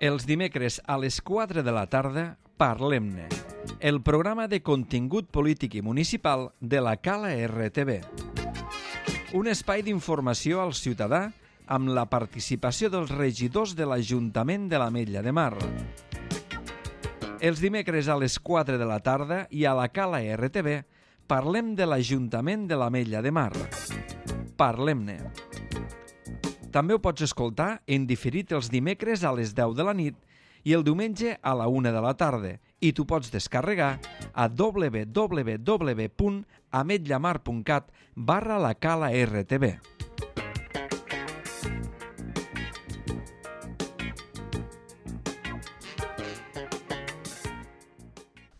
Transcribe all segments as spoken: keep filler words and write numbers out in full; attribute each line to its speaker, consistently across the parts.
Speaker 1: Els dimecres a les quatre de la tarda, Parlem-ne, el programa de contingut polític i municipal de la Cala R T V. Un espai d'informació al ciutadà amb la participació dels regidors de l'Ajuntament de l'Ametlla de Mar. Els dimecres a les quatre de la tarda i a la Cala R T V parlem de l'Ajuntament de l'Ametlla de Mar. Parlem-ne. També ho pots escoltar en diferit els dimecres a les deu de la nit i el diumenge a la una de la tarda, i t'ho pots descarregar a w w w punt ametllamar punt cat barra la Cala R T V.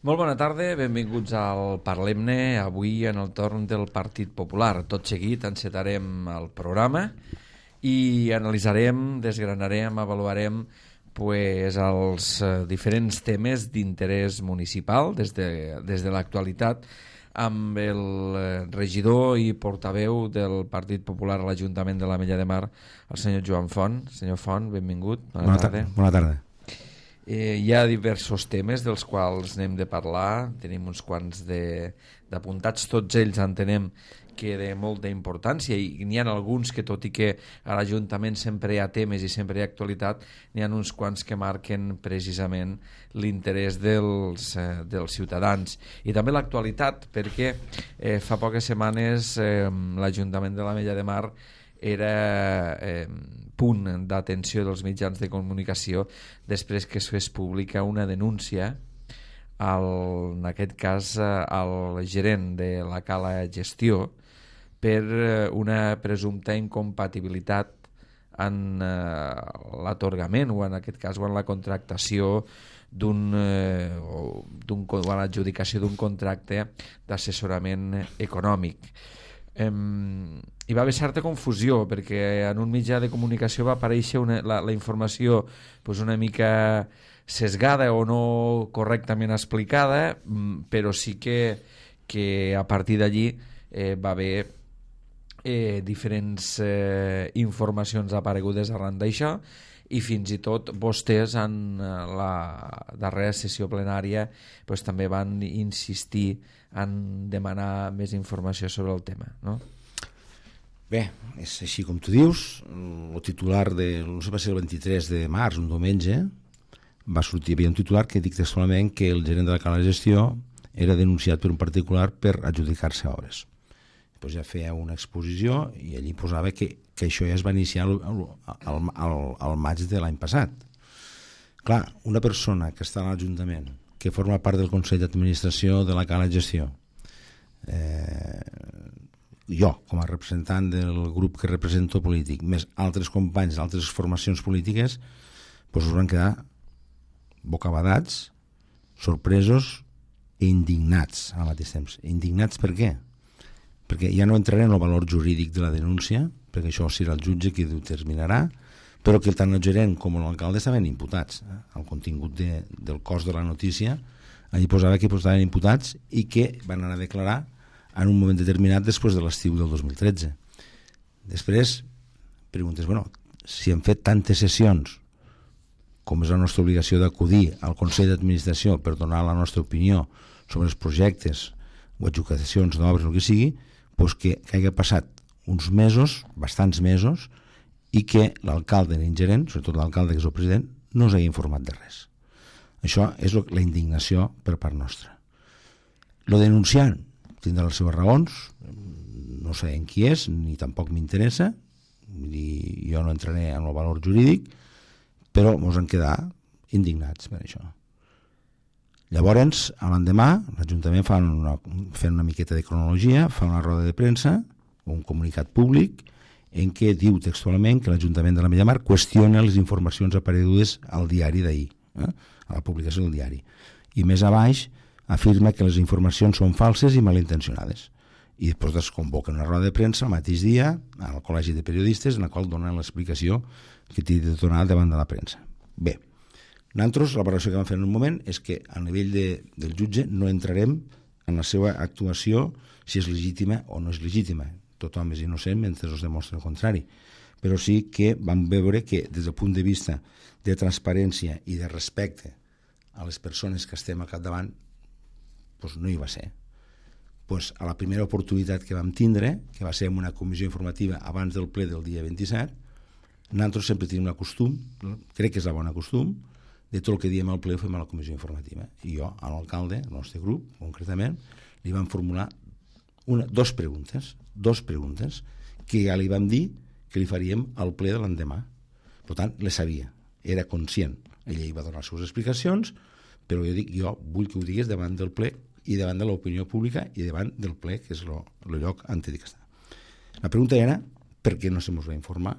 Speaker 1: Molt bona tarda, benvinguts al Parlem-ne, avui en el torn del Partit Popular. Tot seguit encetarem el programa i analitzarem, desgranarem, avaluarem pues, els eh, diferents temes d'interès municipal des de, des de l'actualitat amb el eh, regidor i portaveu del Partit Popular a l'Ajuntament de l'Ametlla de Mar, el senyor Joan Font. Senyor Font, benvingut. Bona, bona tarda.
Speaker 2: Bona tarda.
Speaker 1: Eh, hi ha diversos temes dels quals n'hem de parlar, tenim uns quants d'apuntats, tots ells entenem que de molta importància, i n'hi ha alguns que, tot i que a l'Ajuntament sempre hi ha temes i sempre hi ha actualitat, n'hi ha uns quants que marquen precisament l'interès dels, eh, dels ciutadans i també l'actualitat, perquè eh, fa poques setmanes eh, l'Ajuntament de l'Ametlla de Mar era eh, punt d'atenció dels mitjans de comunicació després que es fes pública una denúncia al, en aquest cas al gerent de la Cala Gestió per una presumpta incompatibilitat en eh, l'atorgament o en aquest cas o en la contractació d'un eh, o, d'un, o en l'adjudicació d'un contracte d'assessorament econòmic. Eh, hi va haver certa confusió perquè en un mitjà de comunicació va aparèixer una, la, la informació pues, una mica sesgada o no correctament explicada, però sí que, que a partir d'allí eh, va haver eh, diferents eh, informacions aparegudes arran d'això, i fins i tot vostès en la darrera sessió plenària pues, també van insistir en demanar més informació sobre el tema, no?
Speaker 2: Bé, és així com tu dius. El titular de, no sé, va ser el vint-i-tres de març, un diumenge, va sortir, hi havia un titular que dic textualment que el gerent de la Cala de Gestió era denunciat per un particular per adjudicar-se obres. Pues ja feia una exposició i allí posava que, que això ja es va iniciar al, al, al, al maig de l'any passat. Clar, una persona que està a l'Ajuntament, que forma part del Consell d'Administració de la Cala de Gestió, eh, jo, com a representant del grup que represento polític, més altres companys d'altres formacions polítiques, pues us van quedar bocabadats, sorpresos i indignats al mateix temps. Indignats per què? Perquè ja no entraré en el valor jurídic de la denúncia, perquè això serà el jutge qui ho determinarà, però que tant el gerent com l'alcalde estaven imputats. Eh? El contingut de, del cos de la notícia allí posava que estaven imputats i que van anar a declarar en un moment determinat després de l'estiu del dos mil tretze. Després preguntes, bueno, si hem fet tantes sessions com és la nostra obligació d'acudir al Consell d'Administració per donar la nostra opinió sobre els projectes o adjudicacions d'obres o el que sigui, doncs que, que hagi passat uns mesos, bastants mesos, i que l'alcalde i l'ingerent, sobretot l'alcalde que és el president, no us hagi informat de res. Això és la indignació per part nostra. Lo denunciant tindrà les seves raons, no sé en qui és, ni tampoc m'interessa, jo no entraré en el valor jurídic, però ens han quedat indignats per això. Llavors, a l'endemà, l'Ajuntament fa una, fent una miqueta de cronologia, fa una roda de premsa, un comunicat públic, en què diu textualment que l'Ajuntament de l'Ametlla de Mar qüestiona les informacions aparegudes al diari d'ahir, eh? a la publicació del diari. I més a baix afirma que les informacions són falses i malintencionades. I després es convoca una roda de premsa el mateix dia al Col·legi de Periodistes en la qual donen l'explicació que té de donar davant de la premsa. Bé, nosaltres, la valoració que vam fer en un moment és que a nivell de, del jutge no entrarem en la seva actuació si és legítima o no és legítima. Tothom és innocent mentre es demostra el contrari. però sí que vam veure que des del punt de vista de transparència i de respecte a les persones que estem al capdavant, doncs no hi va ser. Doncs a la primera oportunitat que vam tindre, que va ser en una comissió informativa abans del ple del dia vint-i-set, nosaltres sempre tenim el costum, crec que és el bon costum, de tot el que diem al ple ho fem a la comissió informativa. I jo, a l'alcalde, el nostre grup, concretament, li vam formular una, dos preguntes, dos preguntes, que ja li vam dir que li faríem al ple de l'endemà. Per tant, les sabia, era conscient. Ella hi va donar les seves explicacions, però jo dic, jo vull que ho digues davant del ple i davant de l'opinió pública i davant del ple, que és el lloc on he d'estar. La pregunta era per què no se mos va informar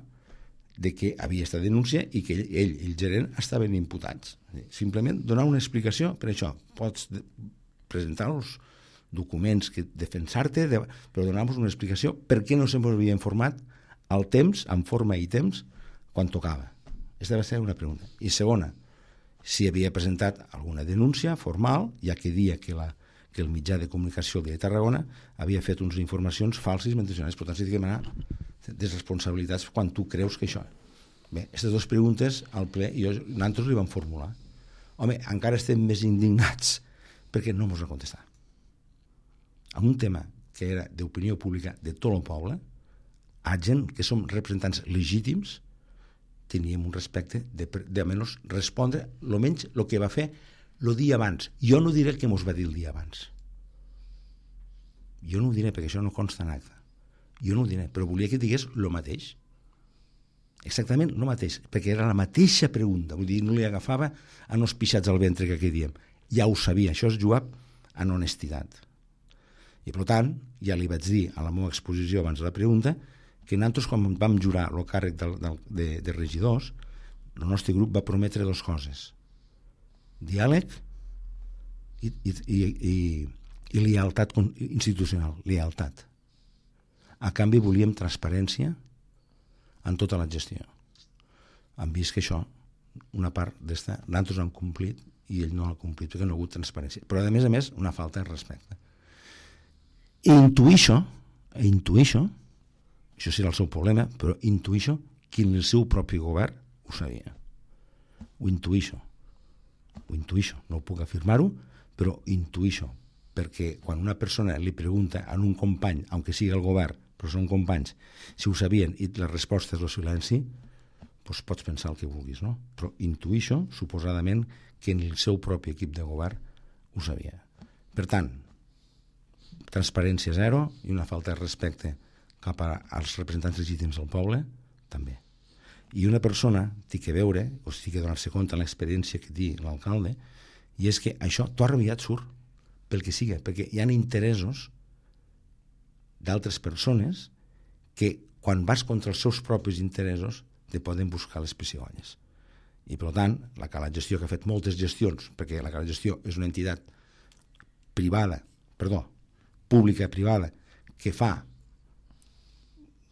Speaker 2: de que havia estat denúncia i que ell, ell i el gerent estaven imputats. Simplement donar una explicació per això. Pots presentar els documents, que defensar-te, però donar-nos una explicació per què no se mos havia informat al temps, en forma i temps, quan tocava. Aquesta va ser una pregunta. I segona, si havia presentat alguna denúncia formal, ja que dia que, la, que el mitjà de comunicació de Tarragona havia fet unes informacions falses i mencionades. Per tant, s'ha de demanar desresponsabilitats quan tu creus que això... Bé, aquestes dues preguntes al ple i jo, nosaltres li vam formular. Home, encara estem més indignats perquè no mos va contestar. En un tema que era d'opinió pública de tot el poble, a gent que som representants legítims, teníem un respecte de, de almenys respondre lo menys el que va fer el dia abans. Jo no diré el que mos va dir el dia abans. Jo no ho diré perquè això no consta en acta. Jo no ho diré, però volia que digués el mateix. Exactament el mateix, perquè era la mateixa pregunta, vull dir, no li agafava a nos pixats al ventre que aquí diem. Ja ho sabia, això és jugar en honestitat. I per tant, ja li vaig dir a la meva exposició abans de la pregunta que nosaltres, quan vam jurar el càrrec de, de, de regidors, el nostre grup va prometre dues coses: diàleg i, i, i, i, i lealtat institucional, lealtat. A canvi volíem transparència en tota la gestió. Hem vist que això, una part d'esta, nosaltres han complit i ell no l'ha complit perquè no ha hagut transparència. Però a més a més, una falta de respecte. I intuïixo, intuïixo, això serà el seu problema, però intuïixo que el seu propi govern ho sabia. Ho intuïixo. Ho intuïixo. No puc afirmar-ho, però intuïixo. Perquè quan una persona li pregunta a un company, aunque sigui el govern, però són companys, si ho sabien i la resposta és el silenci, doncs pots pensar el que vulguis, no? Però intuïixo, suposadament, que en el seu propi equip de govern ho sabia. Per tant, transparència zero i una falta de respecte cap als representants legítims del poble, també. I una persona té que veure, o té que donar-se compte en l'experiència que té l'alcalde, i és que això tot aviat surt pel que siga, perquè hi ha interessos d'altres persones que quan vas contra els seus propis interessos te poden buscar les pessigolles. I per tant, la Cala Gestió, que ha fet moltes gestions, perquè la Cala Gestió és una entitat privada, perdó, pública privada, que fa,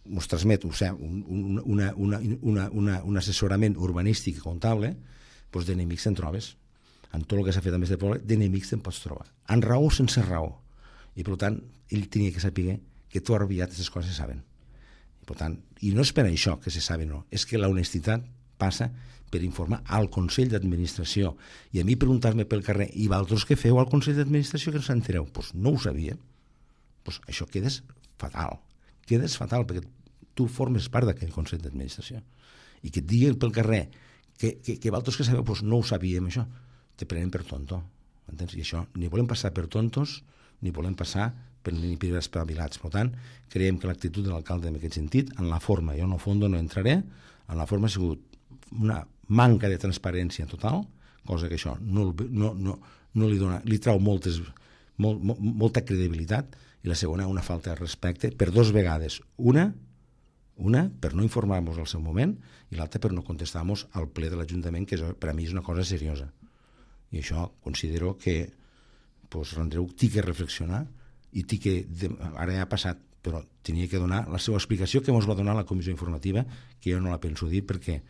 Speaker 2: ens transmet o sigui, un, una, una, una, una, un assessorament urbanístic i comptable, doncs d'enemics te'n trobes. En tot el que s'ha fet a més de poble, d'enemics te'n pots trobar. En raó o sense raó. I per tant, ell tenia que saber que tot aviat aquestes coses se saben. I, per tant, i no és per això que se saben, no. És que la honestitat passa per informar al Consell d'Administració. I a mi preguntar-me pel carrer, i vosaltres què feu al Consell d'Administració que no s'entereu? Doncs pues no ho sabia. Pues això quedes fatal. Quedes fatal perquè tu formes part d'aquell Consell d'Administració. I que et diguin pel carrer que, que, que vosaltres que sabeu, pues no ho sabíem, això. Te prenen per tonto. Entens? I això, ni volem passar per tontos, ni volem passar per ni per espavilats. Per tant, creiem que l'actitud de l'alcalde en aquest sentit, en la forma, jo en el fons no entraré, en la forma ha sigut una manca de transparència total, cosa que això no, no, no, no li dona, li trau moltes, molt, molt, molta credibilitat, i la segona, una falta de respecte per dos vegades. Una, una per no informar-nos al seu moment, i l'altra per no contestar-nos al ple de l'Ajuntament, que per a mi és una cosa seriosa. I això considero que pues, l'Andreu té que reflexionar i té que, ara ja ha passat, però tenia que donar la seva explicació que ens va donar la comissió informativa, que jo no la penso dir perquè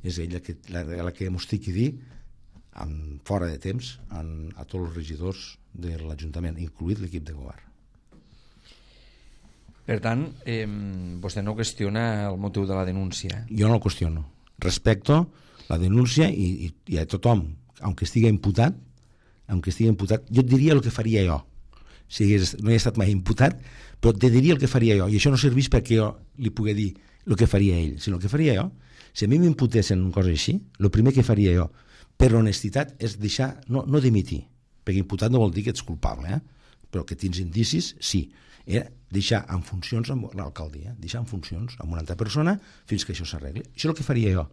Speaker 2: és ella que, la, la que ens té que dir en, fora de temps en, a tots els regidors de l'Ajuntament, incluït l'equip de govern.
Speaker 1: Per tant, eh, vostè no qüestiona el motiu de la denúncia.
Speaker 2: Jo no el qüestiono. Respecto la denúncia i, i, i a tothom, aunque estigui imputat, aunque estigui imputat, jo et diria el que faria jo. Si hagués, no he estat mai imputat, però te diria el que faria jo. I això no serveix perquè jo li pugui dir el que faria ell, sinó el que faria jo. Si a mi m'imputessin una cosa així, el primer que faria jo, per honestitat, és deixar, no, no dimitir, perquè imputat no vol dir que ets culpable, eh? Però que tens indicis, sí. Era deixar en funcions amb l'alcaldia, deixar en funcions amb una altra persona fins que això s'arregli. Això és el que faria jo.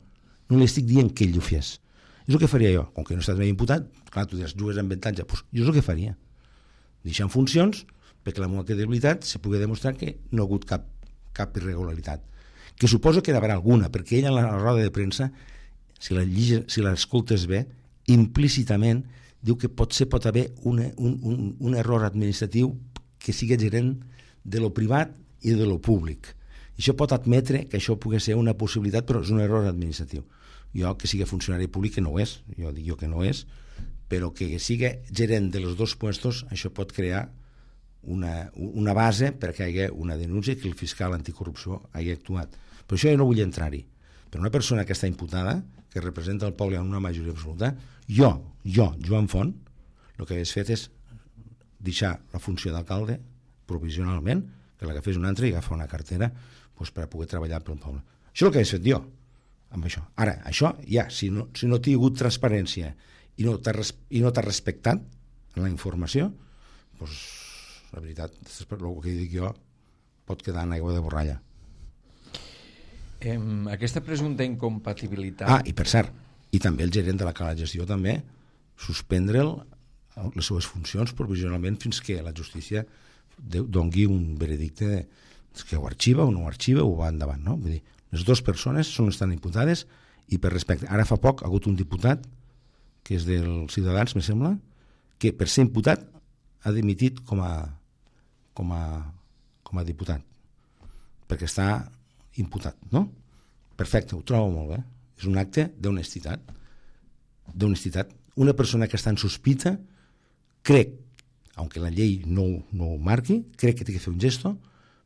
Speaker 2: No li estic dient que ell ho fes. És el que faria jo. Com que no he estat mai imputat, clar, tu diràs, jugues amb avantatge, doncs jo és el que faria. Deixar en funcions perquè la meva credibilitat se pugui demostrar que no ha hagut cap, cap irregularitat. Que suposo que d'haver alguna, perquè ella en la roda de premsa, si la lliges, si l'escoltes bé, implícitament diu que potser pot haver una, un, un, un error administratiu que sigui gerent de lo privat i de lo públic. I això pot admetre que això pugui ser una possibilitat, però és un error administratiu. Jo, que sigui funcionari públic, que no ho és, jo dic jo que no és, però que sigui gerent de los dos puestos, això pot crear una, una base perquè hi hagi una denúncia que el fiscal anticorrupció hagi actuat. Però això jo no vull entrar-hi. Però una persona que està imputada, que representa el poble en una majoria absoluta, jo, jo, Joan Font, el que hagués fet és deixar la funció d'alcalde provisionalment, que l'agafés un altre i agafar una cartera doncs, per a poder treballar pel poble. Això és el que hagués fet jo, amb això. Ara, això ja, si no, si no t'hi ha hagut transparència i no t'ha i no t'ha respectat en la informació, doncs, la veritat, el que dic jo pot quedar en aigua de borralla.
Speaker 1: Eh, aquesta presumpta incompatibilitat...
Speaker 2: Ah, i per cert, i també el gerent de la Cala Gestió també suspendre'l les seves funcions provisionalment fins que la justícia dongui un veredicte de, que ho arxiva o no ho arxiva o va endavant, no? Vull dir, les dues persones són estan imputades i per respecte... Ara fa poc ha hagut un diputat que és dels Ciutadans, me sembla, que per ser imputat ha dimitit com a com a, com a diputat perquè està imputat, no? Perfecte, ho trobo molt bé. És un acte d'honestitat. D'honestitat. Una persona que està en sospita, crec, aunque la llei no, no ho marqui, crec que té que fer un gesto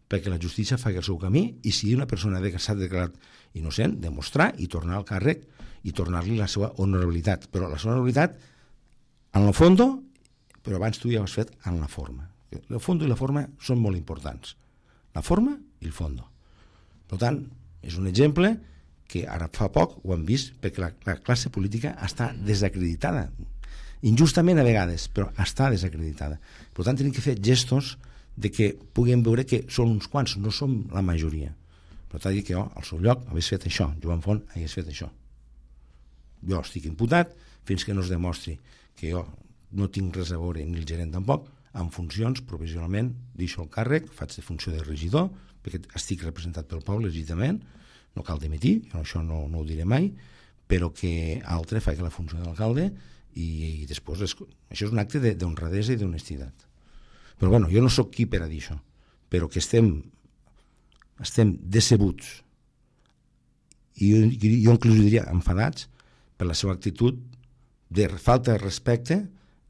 Speaker 2: perquè la justícia faci el seu camí i si una persona que s'ha declarat innocent, demostrar i tornar al càrrec i tornar-li la seva honorabilitat. Però la seva honorabilitat en el fons, però abans tu ja ho has fet en la forma. El fons i la forma són molt importants. La forma i el fons. Per tant, és un exemple que ara fa poc ho hem vist perquè la, la classe política està desacreditada. Injustament a vegades, però està desacreditada. Per tant, tenim que fer gestos de que puguem veure que són uns quants, no som la majoria. Per tant, dic que jo, al seu lloc, hagués fet això. Joan Font hagués fet això. Jo estic imputat fins que no es demostri que jo no tinc res a veure, ni el gerent tampoc, en funcions, provisionalment, deixo el càrrec, faig de funció de regidor, perquè estic representat pel poble legítimament, no cal dimitir, jo això no, no ho diré mai, però que altre faci la funció d'alcalde i, i després les, això és un acte d'honradesa i d'honestitat. Però bueno, jo no sóc qui per a dir això, però que estem estem decebuts i jo, jo inclús diria enfadats per la seva actitud de falta de respecte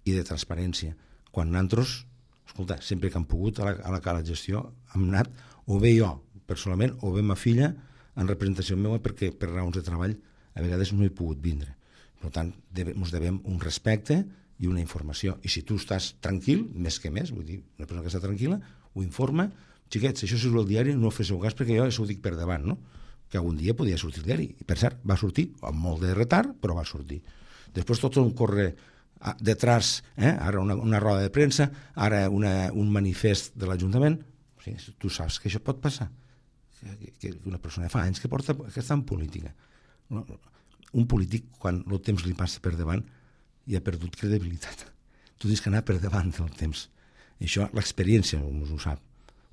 Speaker 2: i de transparència. Quan nosaltres, escolta, sempre que hem pogut a la, a la Cala Gestió hem anat, o bé jo personalment, o bé ma filla en representació meva perquè per raons de treball a vegades no he pogut vindre. Per tant, ens devem un respecte i una informació. I si tu estàs tranquil, més que més, vull dir, una persona que està tranquil·la, ho informa, xiquets, això si és el diari no fes el cas perquè jo això ho dic per davant, no? Que algun dia podia sortir el diari. I per cert, va sortir, amb molt de retard, però va sortir. Després tot un corre detrás, eh? Ara una, una roda de premsa, ara una, un manifest de l'Ajuntament. Sí, tu saps que això pot passar. Que, que una persona fa anys que, porta, que està en política. Un polític, quan el temps li passa per davant, ja ha perdut credibilitat. Tu dius que anar per davant del temps. Això, l'experiència ho sap.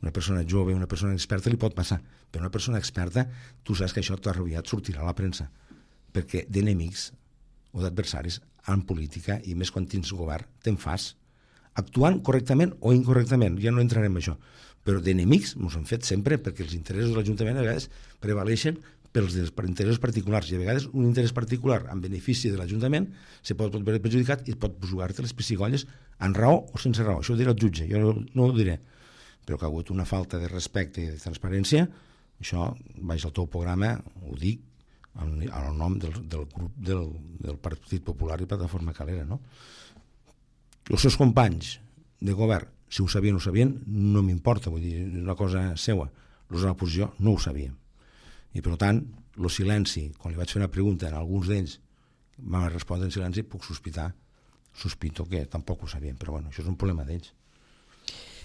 Speaker 2: Una persona jove, una persona experta li pot passar, però una persona experta, tu saps que això t'ha aviat sortirà a la premsa, perquè d'enemics o d'adversaris en política, i més quan tens govern, te'n fas, actuant correctament o incorrectament, ja no entrarem en això, però d'enemics ens han fet sempre perquè els interessos de l'Ajuntament a vegades prevaleixen pels interessos particulars, i a vegades un interès particular en benefici de l'Ajuntament se pot veure perjudicat i pot jugar-te les pessigolles en raó o sense raó. Això ho dirà el jutge, jo no, no ho diré. però que ha hagut una falta de respecte i de transparència, això, baix al teu programa, ho dic, en el nom del, del grup del, del Partit Popular i Plataforma Calera, no? Els seus companys de govern, si ho sabien o ho sabien, no m'importa, vull dir, és una cosa seua. Els de l'oposició no ho sabíem. I, per tant, el silenci, quan li vaig fer una pregunta a alguns d'ells, m'ha respondre en silenci, puc sospitar, sospito que tampoc ho sabien, però bueno, això és un problema d'ells.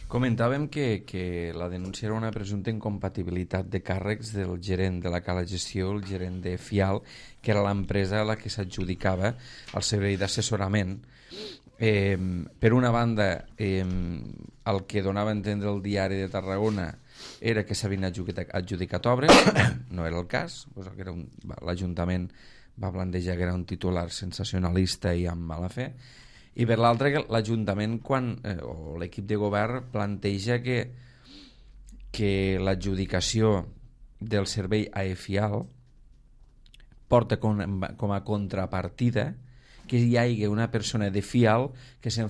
Speaker 1: Comentàvem que, que la denúncia era una presumpta incompatibilitat de càrrecs del gerent de la Cala Gestió, el gerent de Fial, que era l'empresa a la que s'adjudicava el servei d'assessorament. Eh, per una banda, eh, el que donava a entendre el diari de Tarragona era que s'havien adjudicat, adjudicat obres, no era el cas, doncs que era un, l'Ajuntament va plantejar que era un titular sensacionalista i amb mala fe, i per l'altre que l'Ajuntament quan, eh, o l'equip de govern planteja que, que l'adjudicació del servei a EFIAL porta com, com a contrapartida que hi hagi una persona de FIAL que se'n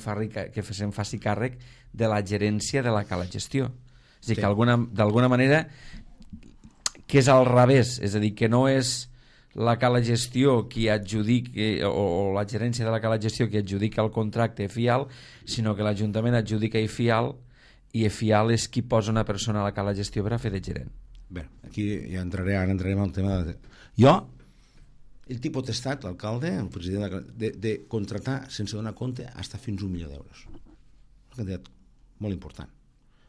Speaker 1: que se'n faci càrrec de la gerència de la Cala Gestió. És a dir, sí. que d'alguna manera que és al revés, és a dir, que no és la Cala Gestió qui adjudica, o, o la gerència de la Cala Gestió qui adjudica el contracte a FIAL, sinó que l'Ajuntament adjudica a FIAL i FIAL és qui posa una persona a la Cala Gestió per a fer de gerent.
Speaker 2: Bé, aquí ja entraré, ara entrarem al tema de... Jo, el té potestat, l'alcalde, el president, de, de contratar sense donar compte fins fins un milió d'euros. Una quantitat molt important.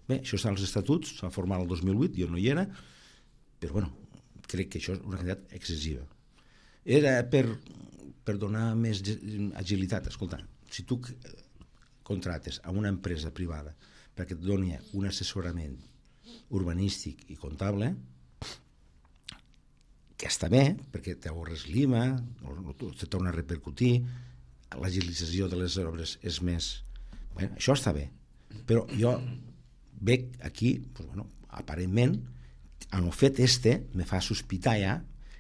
Speaker 2: Bé, això està als estatuts, s'ha format el dos mil vuit, jo no hi era, però bueno, crec que això és una quantitat excessiva. Era per, per donar més agilitat. Escolta, si tu contrates a una empresa privada perquè et doni un assessorament urbanístic i comptable, que està bé, perquè t'ahorres l'I M A, te torna a repercutir, l'agilització de les obres és més... Bé, això està bé, però jo veig aquí, pues bueno, aparentment, en el fet este me fa sospitar ja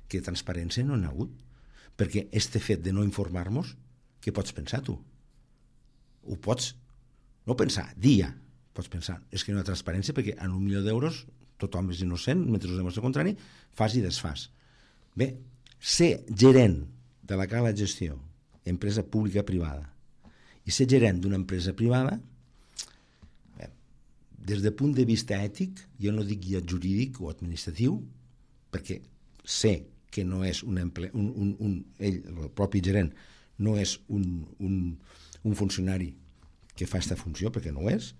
Speaker 2: que transparència no n'ha hagut, perquè este fet de no informar-nos, què pots pensar tu? Ho pots, no pensar, dir ja, pots pensar, és que no hi ha transparència perquè en un milió d'euros tothom és innocent, mentre us demostra el contrari, fas i desfas. Bé, ser gerent de la Cala Gestió, empresa pública privada, i ser gerent d'una empresa privada, bé, des del punt de vista ètic, jo no dic ja jurídic o administratiu, perquè sé que no és un, emple, un, un, un ell, el propi gerent, no és un, un, un funcionari que fa aquesta funció, perquè no ho és,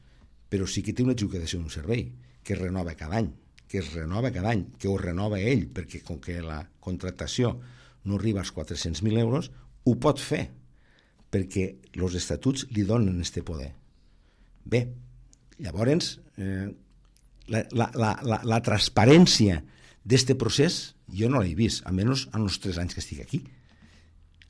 Speaker 2: però sí que té una adjudicació d'un servei, que es renova cada any, que es renova cada any, que ho renova ell, perquè com que la contractació no arriba als quatre-cents mil euros, ho pot fer, perquè els estatuts li donen este poder. Bé, llavors, eh, la, la, la, la, la transparència d'este procés jo no l'he vist, almenys en els tres anys que estic aquí.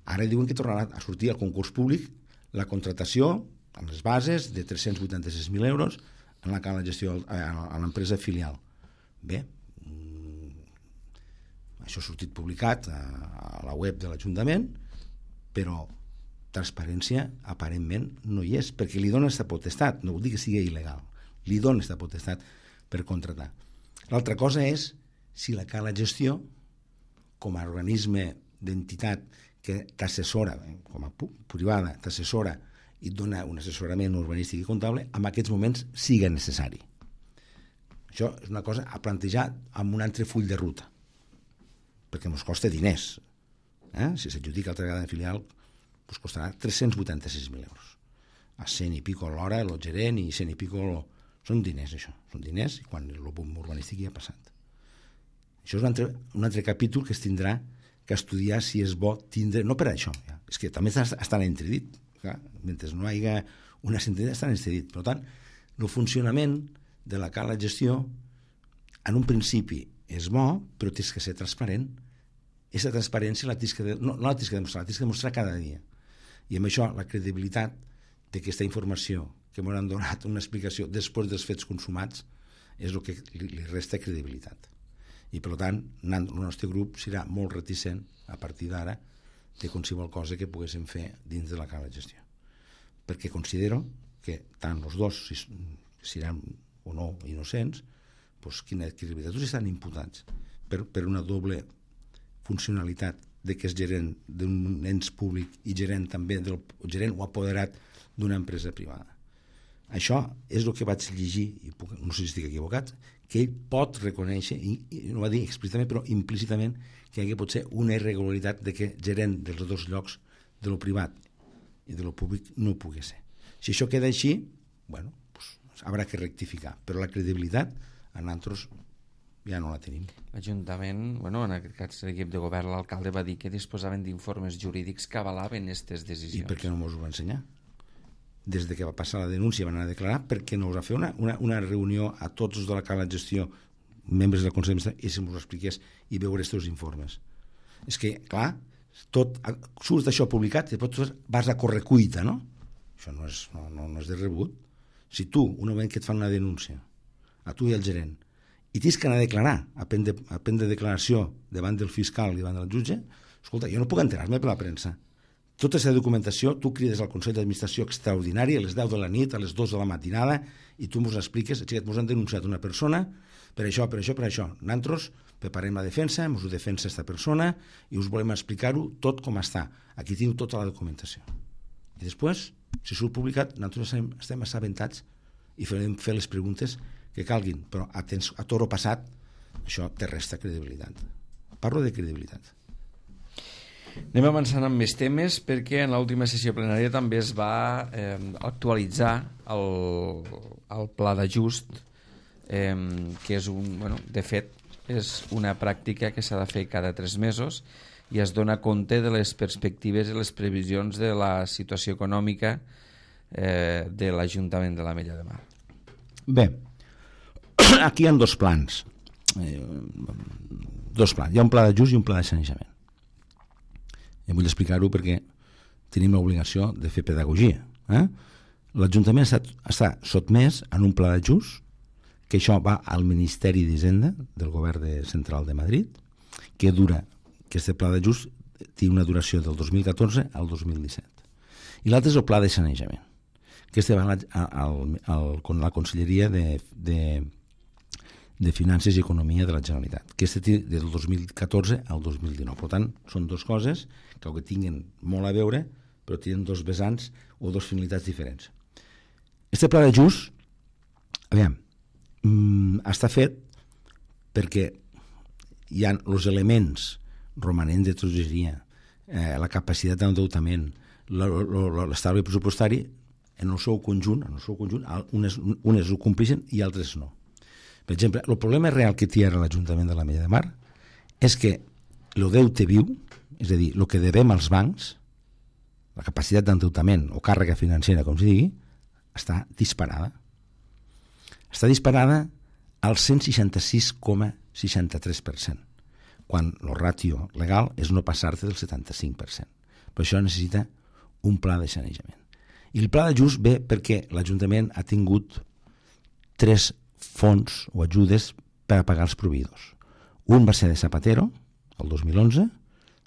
Speaker 2: Ara diuen que tornarà a sortir al concurs públic la contractació amb les bases de tres-cents vuitanta-sis mil euros en la Cala Gestió, a l'empresa filial. Bé, això ha sortit publicat a, a la web de l'Ajuntament, però transparència aparentment no hi és, perquè li dona aquesta potestat, no vol dir que sigui il·legal, li dona aquesta potestat per contratar. L'altra cosa és si la Cala Gestió, com a organisme d'entitat que t'assessora, com a privada, t'assessora i et dona un assessorament urbanístic i comptable, en aquests moments siga necessari. Això és una cosa a plantejar amb un altre full de ruta, perquè ens costa diners. Eh? Si s'adjudica altra vegada en filial, ens costarà tres-cents vuitanta-sis mil euros. A cent i pico l'hora, el gerent, i cent i pico... Lo... Són diners, això. Són diners, i quan el boom urbanístic ja ha passat. Això és un altre, un altre capítol que es tindrà que estudiar si és bo tindre... No per això, ja. És que també està en entredit. Clar, mentre no hi hagi una sentència, està en entredit. Per tant, el funcionament de la Cala Gestió, en un principi és bo, però tens que ser transparent. Aquesta transparència la tens que, no, no la tens que demostrar, la tens que demostrar cada dia. I amb això la credibilitat d'aquesta informació que m'han donat una explicació després dels fets consumats és el que li, li resta credibilitat. I per tant, el nostre grup serà molt reticent a partir d'ara de qualsevol cosa que poguéssim fer dins de la Cala Gestió. Perquè considero que tant els dos seran o no, innocents, doncs quina credibilitat? Tots estan imputats per, per una doble funcionalitat de que és gerent d'un ens públic i gerent també del gerent o apoderat d'una empresa privada. Això és el que vaig llegir, i puc, no sé si estic equivocat, que ell pot reconèixer, i, i no va dir explícitament, però implícitament, que hi pot ser una irregularitat de que gerent dels dos llocs, de lo privat i de lo públic, no pugui ser. Si això queda així, bueno, pues, haurà que rectificar, però la credibilitat a nosaltres ja no la tenim.
Speaker 1: L'Ajuntament, bueno, en aquest cas l'equip de govern, l'alcalde va dir que disposaven d'informes jurídics que avalaven aquestes decisions.
Speaker 2: I per què no ens ho va ensenyar? Des de que va passar la denúncia van anar a declarar, perquè no us va fer una, una, una reunió a tots els de la cala de gestió, membres del Consell d'Administració, i se us ho expliqués i veure aquests informes. És que, clar, tot surt això publicat i després vas a correcuita, no? Això no és, no, no, no és de rebut. Si tu, un moment que et fan una denúncia, a tu i al gerent, i tens que anar a declarar, a prendre, a prendre declaració davant del fiscal i davant del jutge, escolta, jo no puc enterar-me per la premsa. Tota aquesta documentació, tu crides al Consell d'Administració extraordinari a les deu de la nit, a les dues de la matinada, i tu ens expliques, xiquet, ens han denunciat una persona per això, per això, per això. Nosaltres preparem la defensa, ens ho defensa aquesta persona i us volem explicar-ho tot com està. Aquí teniu tota la documentació. I després, si surt publicat, nosaltres estem, estem assabentats i farem fer les preguntes que calguin, però a, temps, a toro passat això te resta credibilitat. Parlo de credibilitat.
Speaker 1: Anem avançant amb més temes perquè en l'última sessió plenària també es va eh, actualitzar el, el pla d'ajust eh, que és un, bueno, de fet és una pràctica que s'ha de fer cada tres mesos i es dona compte de les perspectives i les previsions de la situació econòmica eh, de l'Ajuntament de l'Ametlla de Mar.
Speaker 2: Bé, aquí hi ha dos plans eh, dos plans, hi ha un pla d'ajust i un pla de sanejament. I vull explicar-ho perquè tenim l'obligació de fer pedagogia. Eh? L'Ajuntament està, està sotmès en un pla d'ajust, que això va al Ministeri d'Hisenda del Govern de Central de Madrid, que dura, que aquest pla d'ajust té una duració del dos mil catorze al dos mil disset. I l'altre és el pla de sanejament, que este va al, al, al, a la Conselleria de, de, de Finances i Economia de la Generalitat, que este té del dos mil catorze al dos mil dinou. Per tant, són dues coses que que tinguen molt a veure, però tenen dos vessants o dos finalitats diferents. Este pla d'ajust, aviam, mm, està fet perquè hi ha els elements romanents de tresoreria, eh, la capacitat d'endeutament, l'estalvi pressupostari, en el seu conjunt, en el seu conjunt, unes, unes ho compleixen i altres no. Per exemple, el problema real que té ara l'Ajuntament de l'Ametlla de Mar és que el deute viu, és a dir, el que devem als bancs, la capacitat d'endeutament o càrrega financera, com es digui, està disparada. Està disparada al cent seixanta-sis coma seixanta-tres per cent, quan el ràtio legal és no passar-te del setanta-cinc per cent. Per això necessita un pla de sanejament. I el pla d'ajust ve perquè l'Ajuntament ha tingut tres fons o ajudes per a pagar els proveïdors. Un va ser de Zapatero, el dos mil onze,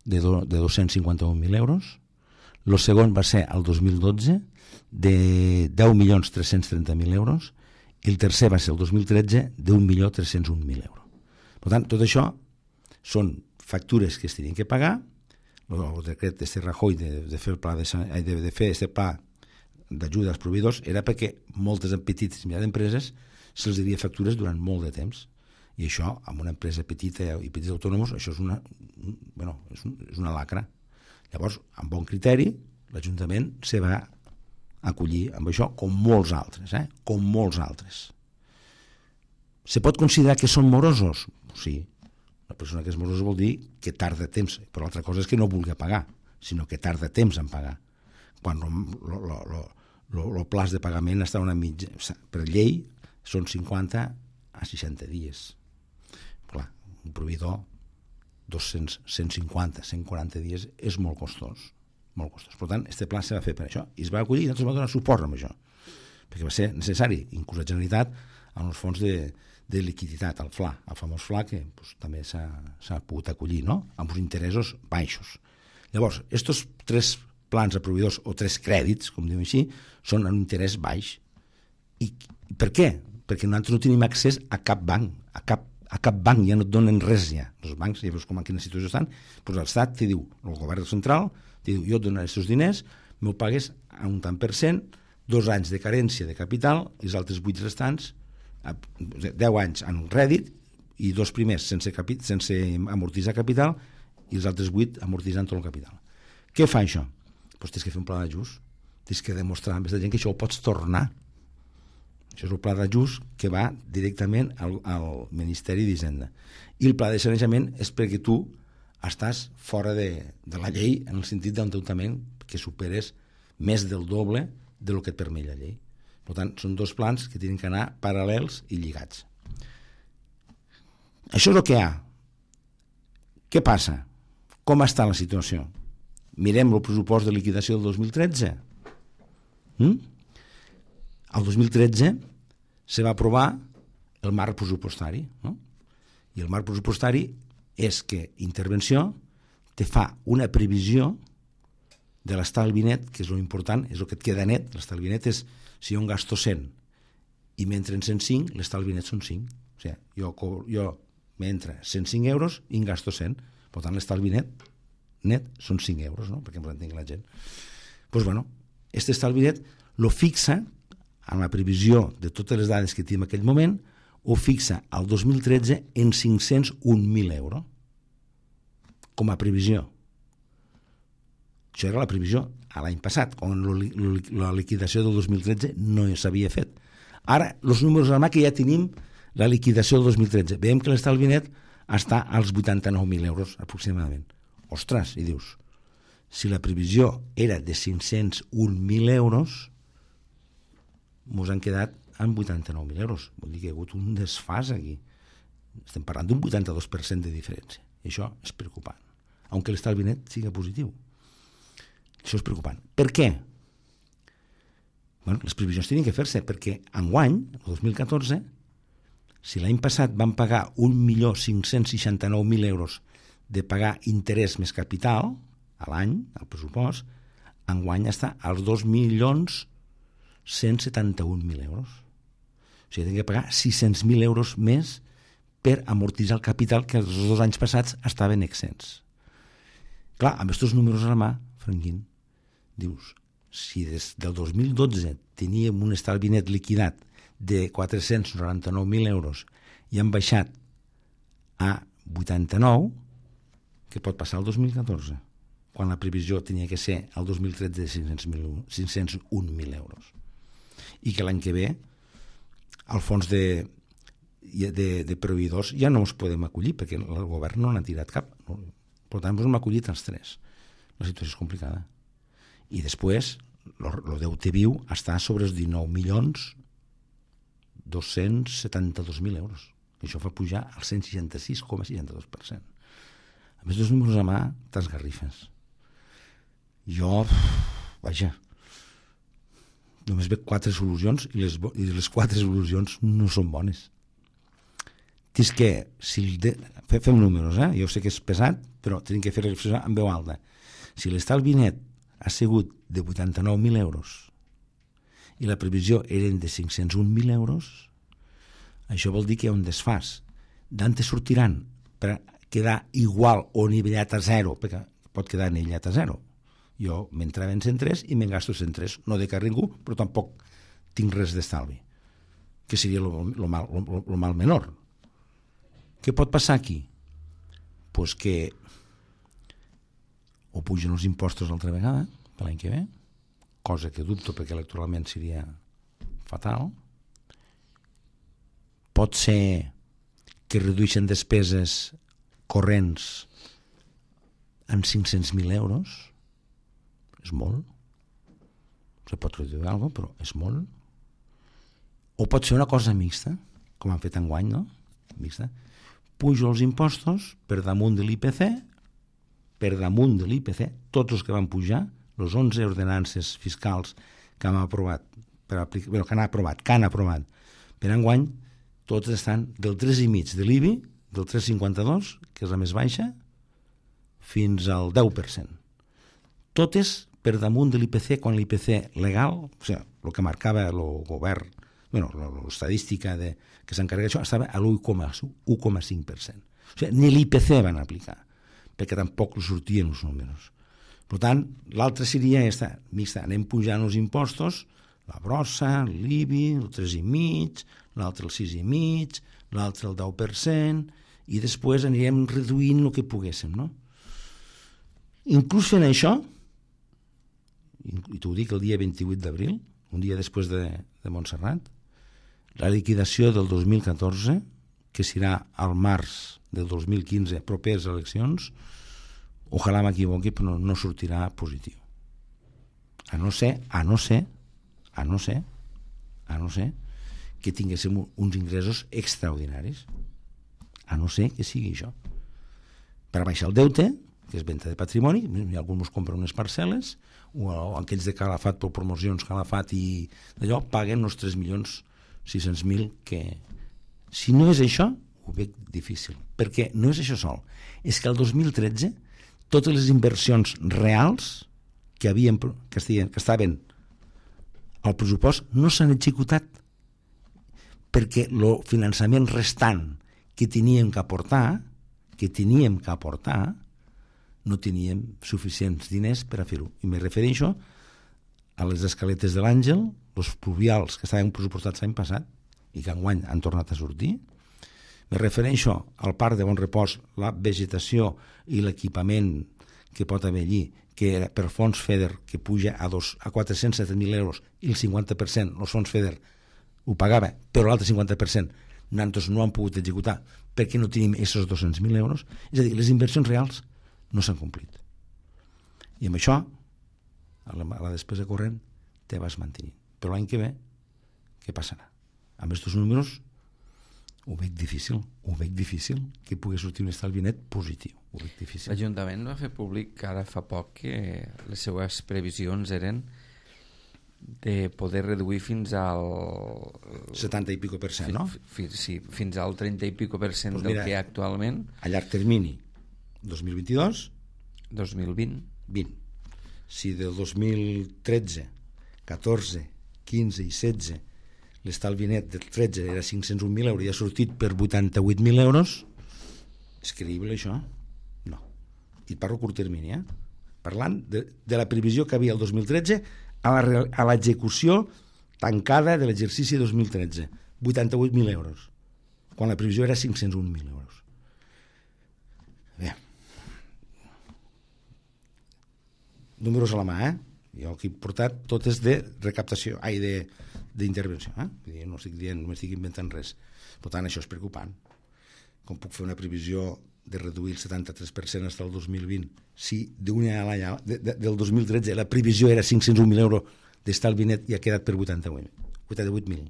Speaker 2: de, do, de dos-cents cinquanta-un mil euros. El segon va ser el dos mil dotze, de deu milions tres-cents trenta mil euros, i el tercer va ser el dos mil tretze, d'un milió tres-cents un mil euros. Per tant, tot això són factures que es tenien que pagar. El decret de Rajoy de, de fer el pla de, de, de fer este pla d'ajuda als proveïdors era perquè moltes petites i mitjanes empreses se'ls devia factures durant molt de temps, i això, amb una empresa petita i petits autònoms, això és una, bueno, és, un, és una lacra. Llavors, amb bon criteri, l'Ajuntament se va acollir amb això, com molts altres, eh? com molts altres. Se pot considerar que són morosos? Sí. Una persona que és morosa vol dir que tarda temps, però l'altra cosa és que no vulgui pagar, sinó que tarda temps en pagar. Quan el plaç de pagament està una mitja, per llei, són cinquanta a seixanta dies. Clar, un proveïdor dos-cents, cent cinquanta, cent quaranta dies és molt costós, molt costós. Per tant, aquest pla se va fer per això i es va acollir i nosaltres vam donar suport amb això, perquè va ser necessari, inclús la Generalitat, en els fons de, de liquiditat, el F L A, el famós F L A, que pues, també s'ha pogut acollir, no? Amb uns interessos baixos. Llavors, aquests tres plans a proveïdors o tres crèdits, com diuen així, són en un interès baix. I per què? perquè nosaltres no tenim accés a cap banc, a cap, a cap banc, ja no et donen res ja. Els bancs, ja veus com en quina situació estan, doncs l'Estat t'hi diu, el govern central, t'hi diu, jo et donaré els teus diners, m'ho pagues a un tant per cent, dos anys de carència de capital, i els altres vuit restants, deu anys en rèdit, i dos primers sense, capi, sense amortitzar capital, i els altres vuit amortitzant tot el capital. Què fa això? Doncs tens que fer un pla d'ajust, tens que demostrar a més de gent que això ho pots tornar. Això és el pla d'ajust que va directament al, al Ministeri d'Hisenda. I el pla de sanejament és perquè tu estàs fora de, de la llei en el sentit d'endeutament que superes més del doble de lo que et permet la llei. Per tant, són dos plans que tenen que anar paral·lels i lligats. Això és el que hi ha. Què passa? Com està la situació? Mirem el pressupost de liquidació del dos mil tretze. Mm? El dos mil tretze se va aprovar el marc pressupostari, no? I el marc pressupostari és que intervenció te fa una previsió de l'estalvi net, que és l'important, és el que et queda net. L'estalvi net és, si jo en gasto cent i m'entren cent cinc, l'estalvi net són cinc. O sigui, jo, jo m'entra cent cinc euros i en gasto cent. Per tant, l'estalvi net, net són cinc euros, no? Perquè ens entengui la gent. Doncs, pues, bueno, aquest estalvi net lo fixa en la previsió de totes les dades que tenim en aquell moment, ho fixa al dos mil tretze en cinc-cents un mil euros com a previsió. Això era la previsió a l'any passat, quan la liquidació del dos mil tretze no s'havia fet. Ara, els números a la mà que ja tenim la liquidació del dos mil tretze. Veiem que l'estalvi net està als vuitanta-nou mil euros aproximadament. Ostres, i dius, si la previsió era de cinc-cents un mil euros, mos han quedat amb vuitanta-nou mil euros. Vol dir que hi ha hagut un desfàs aquí. Estem parlant d'un vuitanta-dos per cent de diferència. I això és preocupant. Aunque l'estalvi net sigui positiu. Això és preocupant. Per què? Bueno, les previsions tenen que fer-se, perquè enguany, el dos mil catorze, si l'any passat van pagar un milió cinc-cents seixanta-nou mil euros de pagar interès més capital a l'any, al pressupost, enguany està als dos milions cent setanta-un mil euros. O sigui, tenen que pagar sis-cents mil euros més per amortitzar el capital que els dos anys passats estaven exents. Clar, amb aquests números a la mà, Franquín, dius, si des del dos mil dotze teníem un estalvi net liquidat de quatre-cents noranta-nou mil euros i han baixat a vuitanta-nou, què pot passar el dos mil catorze? Quan la previsió tenia que ser el dos mil tretze de cinc-cents un mil euros. I que l'any que ve al fons de, de, de proveïdors ja no ens podem acollir perquè el govern no n'ha tirat cap. No? Per tant, ens hem acollit els tres. La situació és complicada. I després, el deute viu està sobre els dinou milions dos-cents setanta-dos mil euros. Això fa pujar al cent seixanta-sis coma seixanta-dos per cent. A més, dos números a mà, t'esgarrifes. Jo, vaja, només veig quatre solucions i les, i les quatre solucions no són bones. Dius que, si de, fem números, eh? Jo sé que és pesat, però tenim que fer reflexió en veu alta. Si l'estalvi net ha sigut de vuitanta-nou mil euros i la previsió eren de cinc-cents un mil euros, això vol dir que hi ha un desfàs. D'on te sortiran per quedar igual o nivellat a zero, perquè pot quedar nivellat a zero. Jo m'entrava en cent tres i me'n gasto cent tres. No de car ningú, però tampoc tinc res d'estalvi. Que seria el mal, lo, lo mal menor. Què pot passar aquí? Pues que o pugen els impostos altra vegada, per l'any que ve, cosa que dubto perquè electoralment seria fatal. Pot ser que redueixen despeses corrents en cinc-cents mil euros. És molt. Se pot reduir alguna cosa, però és molt. O pot ser una cosa mixta, com han fet enguany, no? Mixta. Pujo els impostos per damunt de l'I P C, per damunt de l'I P C, tots els que van pujar, les onze ordenances fiscals que han aprovat, per aplicar, bueno, que han aprovat, que han aprovat per enguany, tots estan del tres coma cinc de l'I B I, del tres coma cinquanta-dos, que és la més baixa, fins al deu per cent. Totes per damunt de l'I P C, quan l'I P C legal, o sigui, el que marcava el govern bueno, l'estadística de, que s'encarrega d'això estava a l'u coma cinc per cent. O sigui, ni l'I P C van aplicar, perquè tampoc sortien els números. Per tant, l'altra seria aquesta, mixta, anem pujant els impostos, la brossa, l'I B I, el tres i mig, l'altre el sis i mig, l'altre el deu per cent, i després anirem reduint el que poguéssim, no? Inclús fent això, i t'ho dic el dia vint-i-vuit d'abril, un dia després de, de Montserrat, la liquidació del dos mil catorze, que serà al març del dos mil quinze, properes eleccions, ojalà m'equivoqui, però no, no sortirà positiu. A no ser, a no ser, a no ser, a no ser que tinguéssim uns ingressos extraordinaris. A no ser que sigui això. Per baixar el deute, que és venda de patrimoni, algú ens compra unes parcel·les, o aquells de Calafat per promocions Calafat i d'allò, paguen els tres milions sis-cents mil que... Si no és això, ho veig difícil. Perquè no és això sol. És que el dos mil tretze totes les inversions reals que, havien, que, estien, que estaven al pressupost no s'han executat perquè el finançament restant que teníem que aportar que teníem que aportar no teníem suficients diners per a fer-ho. I me refereixo a les escaletes de l'Àngel, els pluvials que estaven pressupostats l'any passat i que enguany han tornat a sortir. Me refereixo al parc de Bon Repòs, la vegetació i l'equipament que pot haver allí, que per fons FEDER, que puja a, dos, a quatre-cents set mil euros i el cinquanta per cent, els fons FEDER ho pagava, però l'altre cinquanta per cent nosaltres no han pogut executar perquè no tenim aquests dos-cents mil euros. És a dir, les inversions reals no s'han complit. I amb això, a la, a la despesa corrent, te vas mantenint. Però l'any que ve, què passarà? Amb aquests números ho veig difícil, ho veig difícil que pugui sortir un estalvi net positiu. Ho veig difícil.
Speaker 1: L'Ajuntament va fer públic ara fa poc que les seues previsions eren de poder reduir fins al...
Speaker 2: setanta i pico per cent, no?
Speaker 1: Fi, sí, fins al trenta i pico per cent pues del mira, que hi ha actualment.
Speaker 2: A llarg termini, dos mil vint-i-dos...
Speaker 1: dos mil vint.
Speaker 2: vint. Si del dos mil tretze, catorze, quinze i setze l'estalvi net del tretze era cinc-cents un mil euros i ha sortit per vuitanta-vuit mil euros, és creïble això? No. I parlo a curt termini, eh? Parlant de, de la previsió que havia el dos mil tretze a la, a l'execució tancada de l'exercici dos mil tretze. vuitanta-vuit mil euros, quan la previsió era cinc-cents un mil euros. Bé. Números a la mà, eh? Jo aquí he portat totes de recaptació, ai, de d'intervenció, eh? No estic dient, no estic inventant res. Per tant, això és preocupant. Com puc fer una previsió de reduir el setanta-tres per cent fins al dos mil vint si d'una a l'any de, de, del dos mil tretze la previsió era cinc-cents un mil euros d'estalvi net i ha quedat per vuitanta-vuit mil,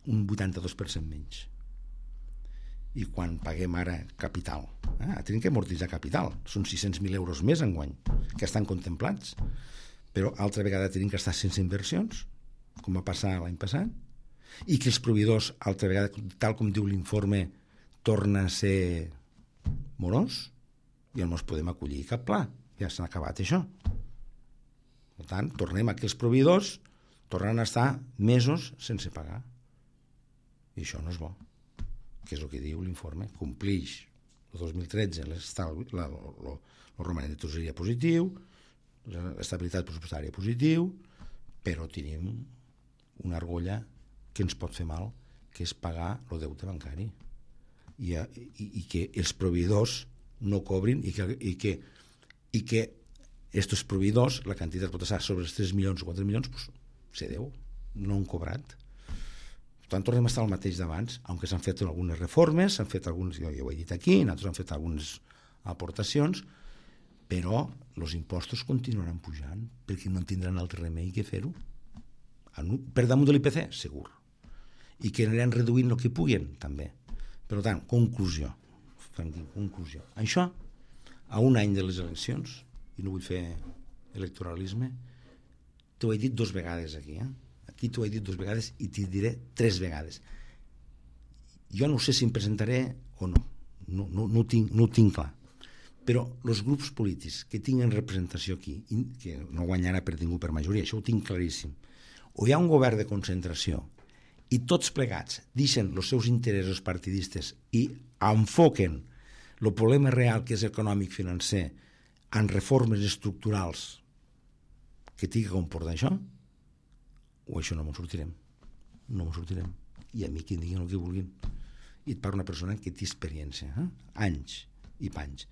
Speaker 2: un vuitanta-dos per cent menys. I quan paguem ara capital, eh? tenim que amortitzar capital, són sis-cents mil euros més enguany que estan contemplats, però altra vegada tenim que estar sense inversions, com va passar l'any passat, i que els proveïdors, altra vegada, tal com diu l'informe, torna a ser morós, i no ens podem acollir cap pla, ja s'ha acabat això. Per tant, tornem a que els proveïdors tornen a estar mesos sense pagar, i això no és bo, que és el que diu l'informe. Complix el dos mil tretze el romanent de tresoreria positiu, l'estabilitat pressupostària positiu, però tenim una argolla que ens pot fer mal, que és pagar el deute bancari i, i, i que els proveïdors no cobrin i que, i que, i que estos proveïdors, la quantitat pot estar sobre els tres milions o quatre milions, pues, se deu, no han cobrat. Per tant, tornem a estar al mateix d'abans, aunque s'han fet algunes reformes, s'han fet alguns, jo ja ho he dit aquí, nosaltres han fet algunes aportacions, però els impostos continuaran pujant perquè no tindran altre remei que fer-ho. Per damunt de l'I P C, segur. I que aniran reduint el que puguen, també. Per tant, conclusió. conclusió. Això, a un any de les eleccions, i no vull fer electoralisme, t'ho he dit dos vegades aquí, eh? Aquí t'ho he dit dos vegades i t'hi diré tres vegades. Jo no sé si em presentaré o no. No, no, no, ho, tinc, no ho tinc clar. Però els grups polítics que tinguen representació aquí, que no guanyarà per ningú per majoria, això ho tinc claríssim, o hi ha un govern de concentració i tots plegats deixen els seus interessos partidistes i enfoquen el problema real que és econòmic-financer en reformes estructurals que tingui que comportar això, o això no me'n sortirem. No me'n sortirem. I a mi que em diguin el que vulguin. I et parla una persona que té experiència, eh? anys i panys.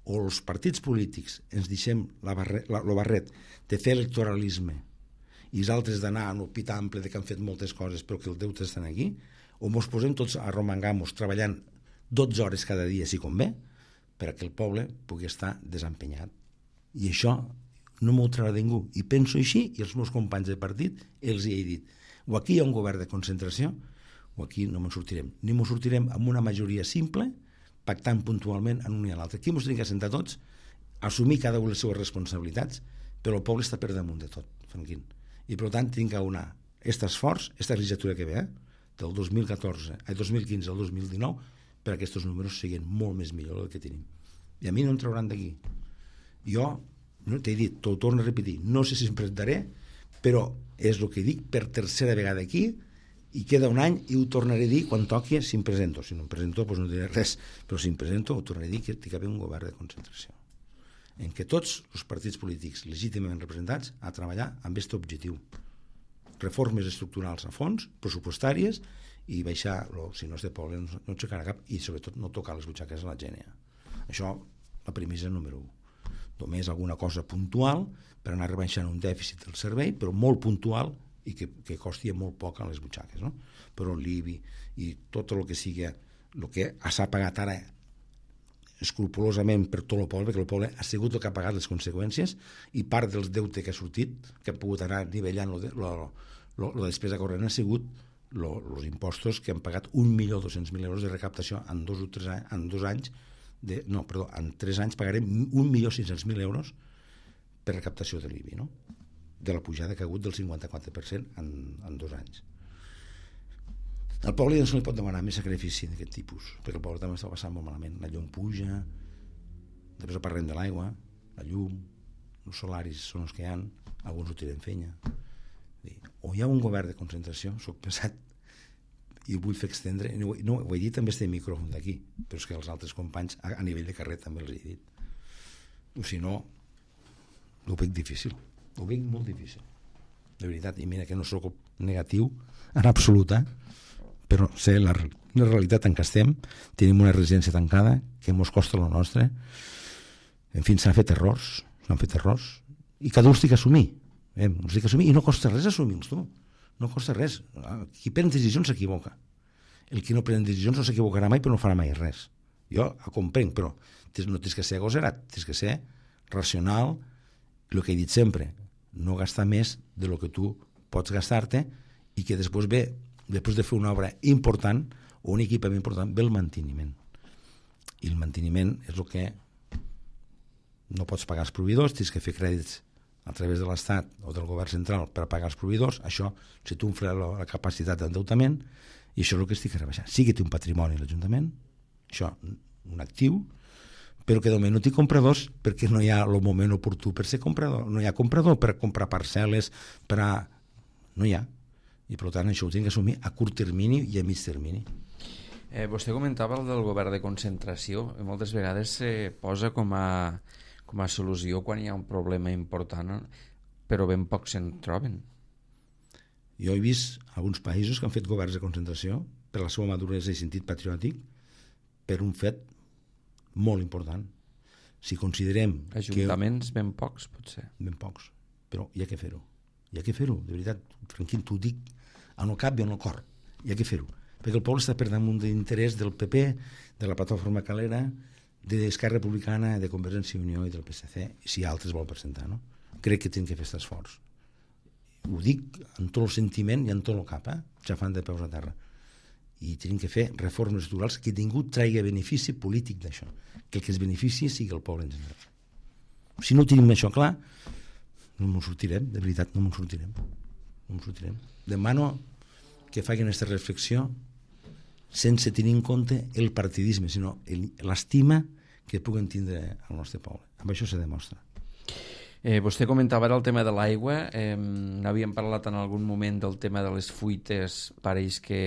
Speaker 2: O els partits polítics ens deixem la barret, la, el barret de fer electoralisme i els altres d'anar en el pit ample de que han fet moltes coses però que el deute estan aquí, o mos posem tots a romangamos treballant dotze hores cada dia si convé perquè el poble pugui estar desempenyat. I això no m'ho traurà ningú. I penso així, i els meus companys de partit els hi he dit. O aquí hi ha un govern de concentració, o aquí no me'n sortirem. Ni me'n sortirem amb una majoria simple, pactant puntualment en un i a l'altre. Aquí ens tenim que sentar tots, assumir cada una les seves responsabilitats, però el poble està per damunt de tot, Franquín. I per tant tenim que unar aquest esforç, aquesta legislatura que ve, eh, del dos mil catorze, el dos mil quinze al dos mil dinou, per a aquests números siguin molt més millor del que tenim. I a mi no em trauran d'aquí. Jo, no t'he dit, t'ho torno a repetir, no sé si em presentaré, però és el que dic per tercera vegada aquí, i queda un any i ho tornaré a dir quan toqui si em presento. Si no em presento doncs no diré res, però si em presento ho tornaré a dir que hi ha d'haver un govern de concentració en què tots els partits polítics legítimament representats a treballar amb aquest objectiu, reformes estructurals a fons, pressupostàries, i baixar, si no és de poble no, no aixecarà cap, i sobretot no tocar les butxaques a la gent. Això, la premissa número un. Només alguna cosa puntual per anar rebaixant un dèficit del servei, però molt puntual i que, que costi molt poc a les butxaques, no? Però l'I B I i tot el que sigui el que s'ha pagat ara escrupolosament per tot el poble, perquè el poble ha sigut el que ha pagat les conseqüències i part dels deute que ha sortit, que ha pogut anar nivellant la despesa corrent, ha sigut els impostos que han pagat un milió dos-cents mil euros de recaptació en dos o tres anys, en dos anys de, no, perdó, en tres anys pagarem un milió sis-cents mil euros per recaptació de l'I B I, no? De la pujada que ha hagut del cinquanta-quatre per cent en, en dos anys. Al poble ja no se li pot demanar més sacrifici d'aquest tipus, perquè el poble també està passant molt malament. La llum puja, després parlem de l'aigua, la llum, els salaris són els que hi ha, alguns ho tiren fenya. O hi ha un govern de concentració, soc pesat, i ho vull fer extendre, no, no, ho he dit també este micròfon d'aquí, però és que els altres companys a, a nivell de carrer també els he dit. O si no, ho veig difícil, ho veig molt difícil, de veritat, i mira que no soc negatiu en absoluta, però sé la, la realitat en què estem, tenim una residència tancada que mos costa la nostra, en fi, s'han fet errors, s'han fet errors, i cada un s'ha d'assumir, eh? S'ha d'assumir, i no costa res assumir-los, tu. No costa res. Qui pren decisions s'equivoca. El que no pren decisions no s'equivocarà mai, però no farà mai res. Jo ho comprenc, però no tens que ser agosarat, tens que ser racional, el que he dit sempre, no gastar més de lo que tu pots gastar-te i que després ve, després de fer una obra important o un equipament important, ve el manteniment. I el manteniment és el que no pots pagar els proveïdors, tens que fer crèdits a través de l'Estat o del govern central per pagar els proveïdors, això si tu infles la, la capacitat d'endeutament, i això és el que estic rebaixant. Sí que té un patrimoni l'Ajuntament, això, un actiu, però que de moment no té compradors perquè no hi ha el moment oportú per ser comprador, no hi ha comprador per comprar parcel·les, per a... no hi ha, i per tant això ho tinc que assumir a curt termini i a mig termini.
Speaker 1: Eh, vostè comentava el del govern de concentració, moltes vegades se posa com a com a solució quan hi ha un problema important, però ben pocs se'n troben.
Speaker 2: Jo he vist alguns països que han fet governs de concentració per la seva maduresa i sentit patriòtic per un fet molt important. Si considerem
Speaker 1: Ajuntaments que... ben pocs, potser.
Speaker 2: Ben pocs, però hi ha que fer-ho. Hi ha que fer-ho, de veritat, tranquil, t'ho dic en el cap i en el cor. Hi ha que fer-ho, perquè el poble està per damunt d'interès del P P, de la plataforma Calera, d'Esquerra Republicana, de Convergència i Unió i del P S C, si altres vol presentar, no? Crec que tenen que fer aquest esforç. Ho dic amb tot el sentiment i amb tot el cap, eh? Xafant de peus a terra. I tenen que fer reformes estructurals que ningú traigui benefici polític d'això, que el que es benefici sigui el poble en general. Si no tenim això clar, no ens sortirem, de veritat, no ens sortirem. No ens sortirem. Demano que facin aquesta reflexió sense tenir en compte el partidisme, sinó l'estima que puguen tindre al nostre poble. Amb això se demostra.
Speaker 1: Eh, vostè comentava ara el tema de l'aigua, eh, n'havíem parlat en algun moment del tema de les fuites, pareix que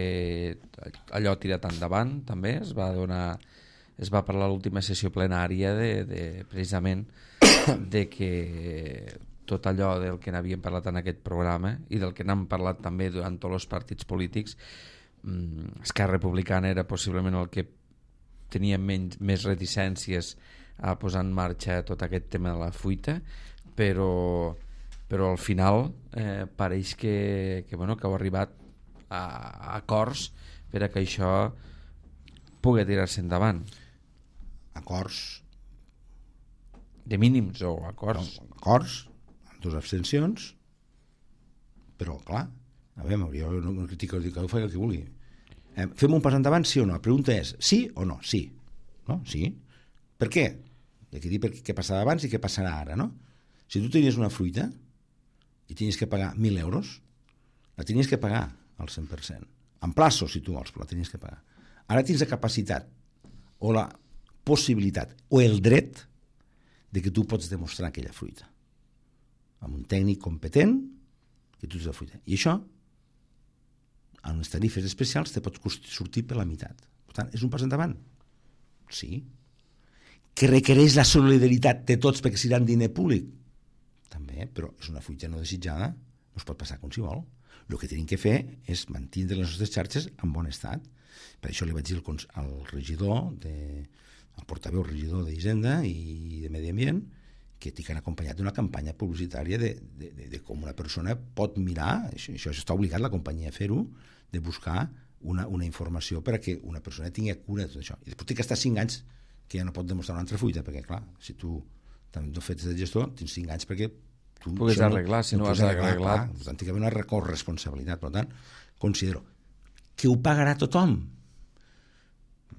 Speaker 1: allò ha tirat endavant també, es va donar, es va parlar a l'última sessió plenària de, de, precisament de que tot allò del que n'havíem parlat en aquest programa i del que n'hem parlat també durant tots els partits polítics, mm, Esquerra Republicana era possiblement el que tenia menys, més reticències a posar en marxa tot aquest tema de la fuita, però, però al final eh, pareix que, que, bueno, que heu arribat a, a acords per a que això pugui tirar-se endavant.
Speaker 2: Acords
Speaker 1: de mínims o acords?
Speaker 2: No, acords, amb dues abstencions, però clar, a veure, jo no critico, dic que ho faig el que vulgui. Eh, fem un pas endavant, sí o no? La pregunta és sí o no? Sí. No? Sí. Per què? He de dir per què passava abans i què passarà ara, no? Si tu tenies una fruita i tenies que pagar mil euros, la tenies que pagar al cent per cent. En plaços, si tu vols, però la tenies que pagar. Ara tens la capacitat o la possibilitat o el dret de que tu pots demostrar aquella fruita amb un tècnic competent que tu tens la fruita. I això, en les tarifes especials, te pot sortir per la meitat. Per tant, és un pas endavant. Sí. Que requereix la solidaritat de tots perquè serà diner públic? També, però és una fruita no desitjada, no es pot passar com si vol. El que tenim que fer és mantenir les nostres xarxes en bon estat. Per això li vaig dir al, al regidor, de, al portaveu regidor d'Hisenda i de Medi Ambient, que tinc acompanyat d'una campanya publicitària de, de, de, de com una persona pot mirar, això, això està obligat la companyia a fer-ho, de buscar una, una informació per a que una persona tingui cura de tot això. I després té que estar cinc anys que ja no pot demostrar una altra fruita, perquè clar, si tu també fets de gestor, tens cinc anys perquè tu
Speaker 1: puguis arreglar, no, si no, no has arreglat.
Speaker 2: Per tant, té que haver una corresponsabilitat. Per tant, considero que ho pagarà tothom.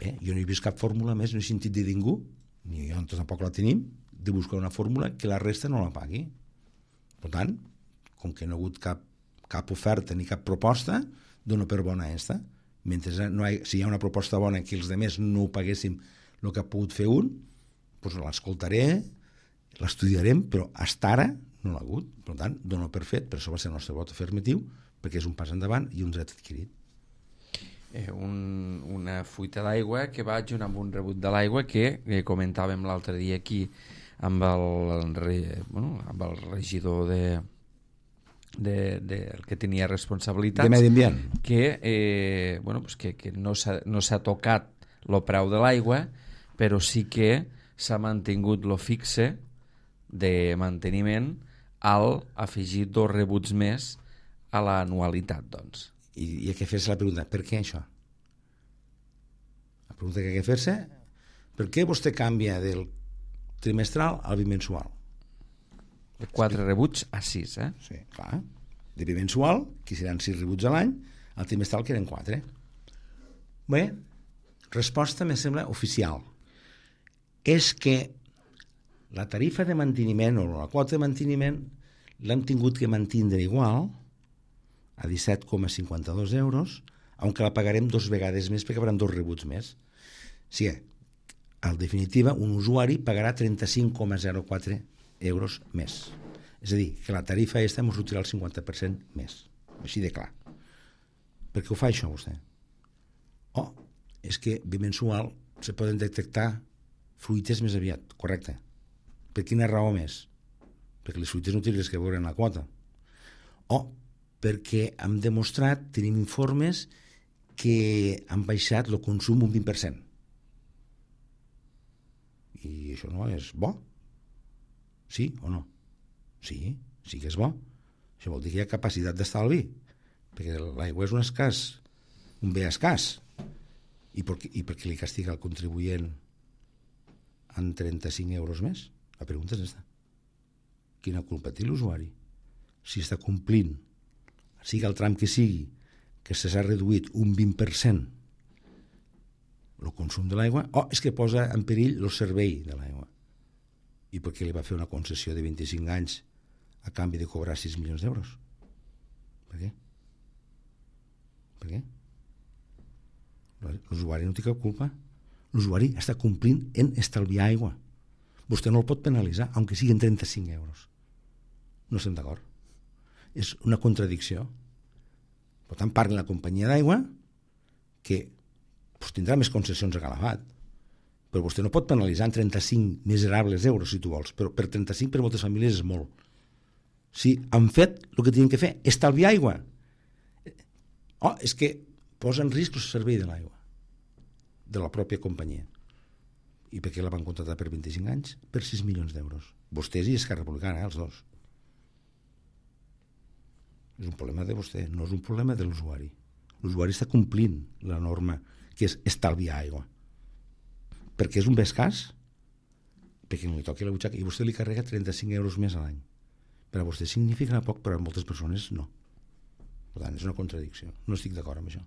Speaker 2: Bé, jo no he vist cap fórmula més, no he sentit de ningú, ni jo tampoc la tenim, de buscar una fórmula que la resta no la pagui. Per tant, com que no ha hagut cap, cap oferta ni cap proposta, dono per bona esta. Mentre no hi, si hi ha una proposta bona que els altres no ho paguéssim el que ha pogut fer un, doncs l'escoltaré, l'estudiarem, però fins ara no l'ha hagut. Per tant, dono per fet, per això va ser el nostre vot afirmatiu, perquè és un pas endavant i un dret adquirit.
Speaker 1: Eh, un, una fuita d'aigua que va junt amb un rebut de l'aigua que eh, comentàvem l'altre dia aquí amb el, el, bueno, amb el regidor de, de, de, el que tenia responsabilitats
Speaker 2: de Medi Ambient,
Speaker 1: que, eh, bueno, pues que, que no s'ha no s'ha tocat el preu de l'aigua, però sí que s'ha mantingut lo fixe de manteniment al afegir dos rebuts més a l'anualitat, doncs.
Speaker 2: I, i hay que fer-se la pregunta, per què això? La pregunta que hay que fer-se, per què vostè canvia del trimestral al bimensual?
Speaker 1: De quatre sí. rebuts a sis, eh?
Speaker 2: Sí, clar. De bimensual, que seran sis rebuts a l'any, al trimestral que eren quatre. Bé, resposta me sembla oficial. És que la tarifa de manteniment o la quota de manteniment l'hem tingut que mantindre igual a disset coma cinquanta-dos euros, aunque la pagarem dos vegades més perquè hi haurà dos rebuts més. O sigui, en definitiva, un usuari pagarà trenta-cinc coma zero quatre euros més. És a dir, que la tarifa aquesta ens sortirà el cinquanta per cent més. Així de clar. Per què ho fa això, vostè? Oh, és que bimensual se poden detectar fruites més aviat, correcte. Per quina raó més? Perquè les fruites no tenen res que veure en la quota. O perquè hem demostrat, tenim informes que han baixat el consum un vint per cent. I això no és bo? Sí o no? Sí, sí que és bo. Això vol dir que hi ha capacitat d'estalvi, perquè l'aigua és un escàs, un bé escàs. I per, i per què li castiga el contribuent en trenta-cinc euros més? La pregunta és aquesta. Quina culpa té l'usuari? Si està complint, sigui el tram que sigui, que s'ha reduït un vint per cent el consum de l'aigua, o és que posa en perill el servei de l'aigua. I per què li va fer una concessió de vint-i-cinc anys a canvi de cobrar sis milions d'euros? Per què? Per què? L'usuari no té cap culpa. L'usuari està complint en estalviar aigua. Vostè no el pot penalitzar, aunque siguin trenta-cinc euros. no estem d'acord. És una contradicció. Per tant, parli la companyia d'aigua, que pues, tindrà més concessions a Calafat, però vostè no pot penalitzar en trenta-cinc miserables euros, si tu vols, però per trenta-cinc per moltes famílies és molt. Si han fet el que tenen que fer, estalviar aigua. Oh, és que posa en risc el servei de l'aigua, de la pròpia companyia. I per què la van contractar per vint-i-cinc anys? Per sis milions d'euros. Vostès i Esquerra Republicana, eh, els dos. És un problema de vostè, no és un problema de l'usuari. L'usuari està complint la norma, que és estalviar aigua. Perquè és un bé escàs, perquè no li toqui la butxaca, i vostè li carrega trenta-cinc euros més a l'any. Per a vostè significa poc, però a moltes persones no. Per tant, és una contradicció. No estic d'acord amb això.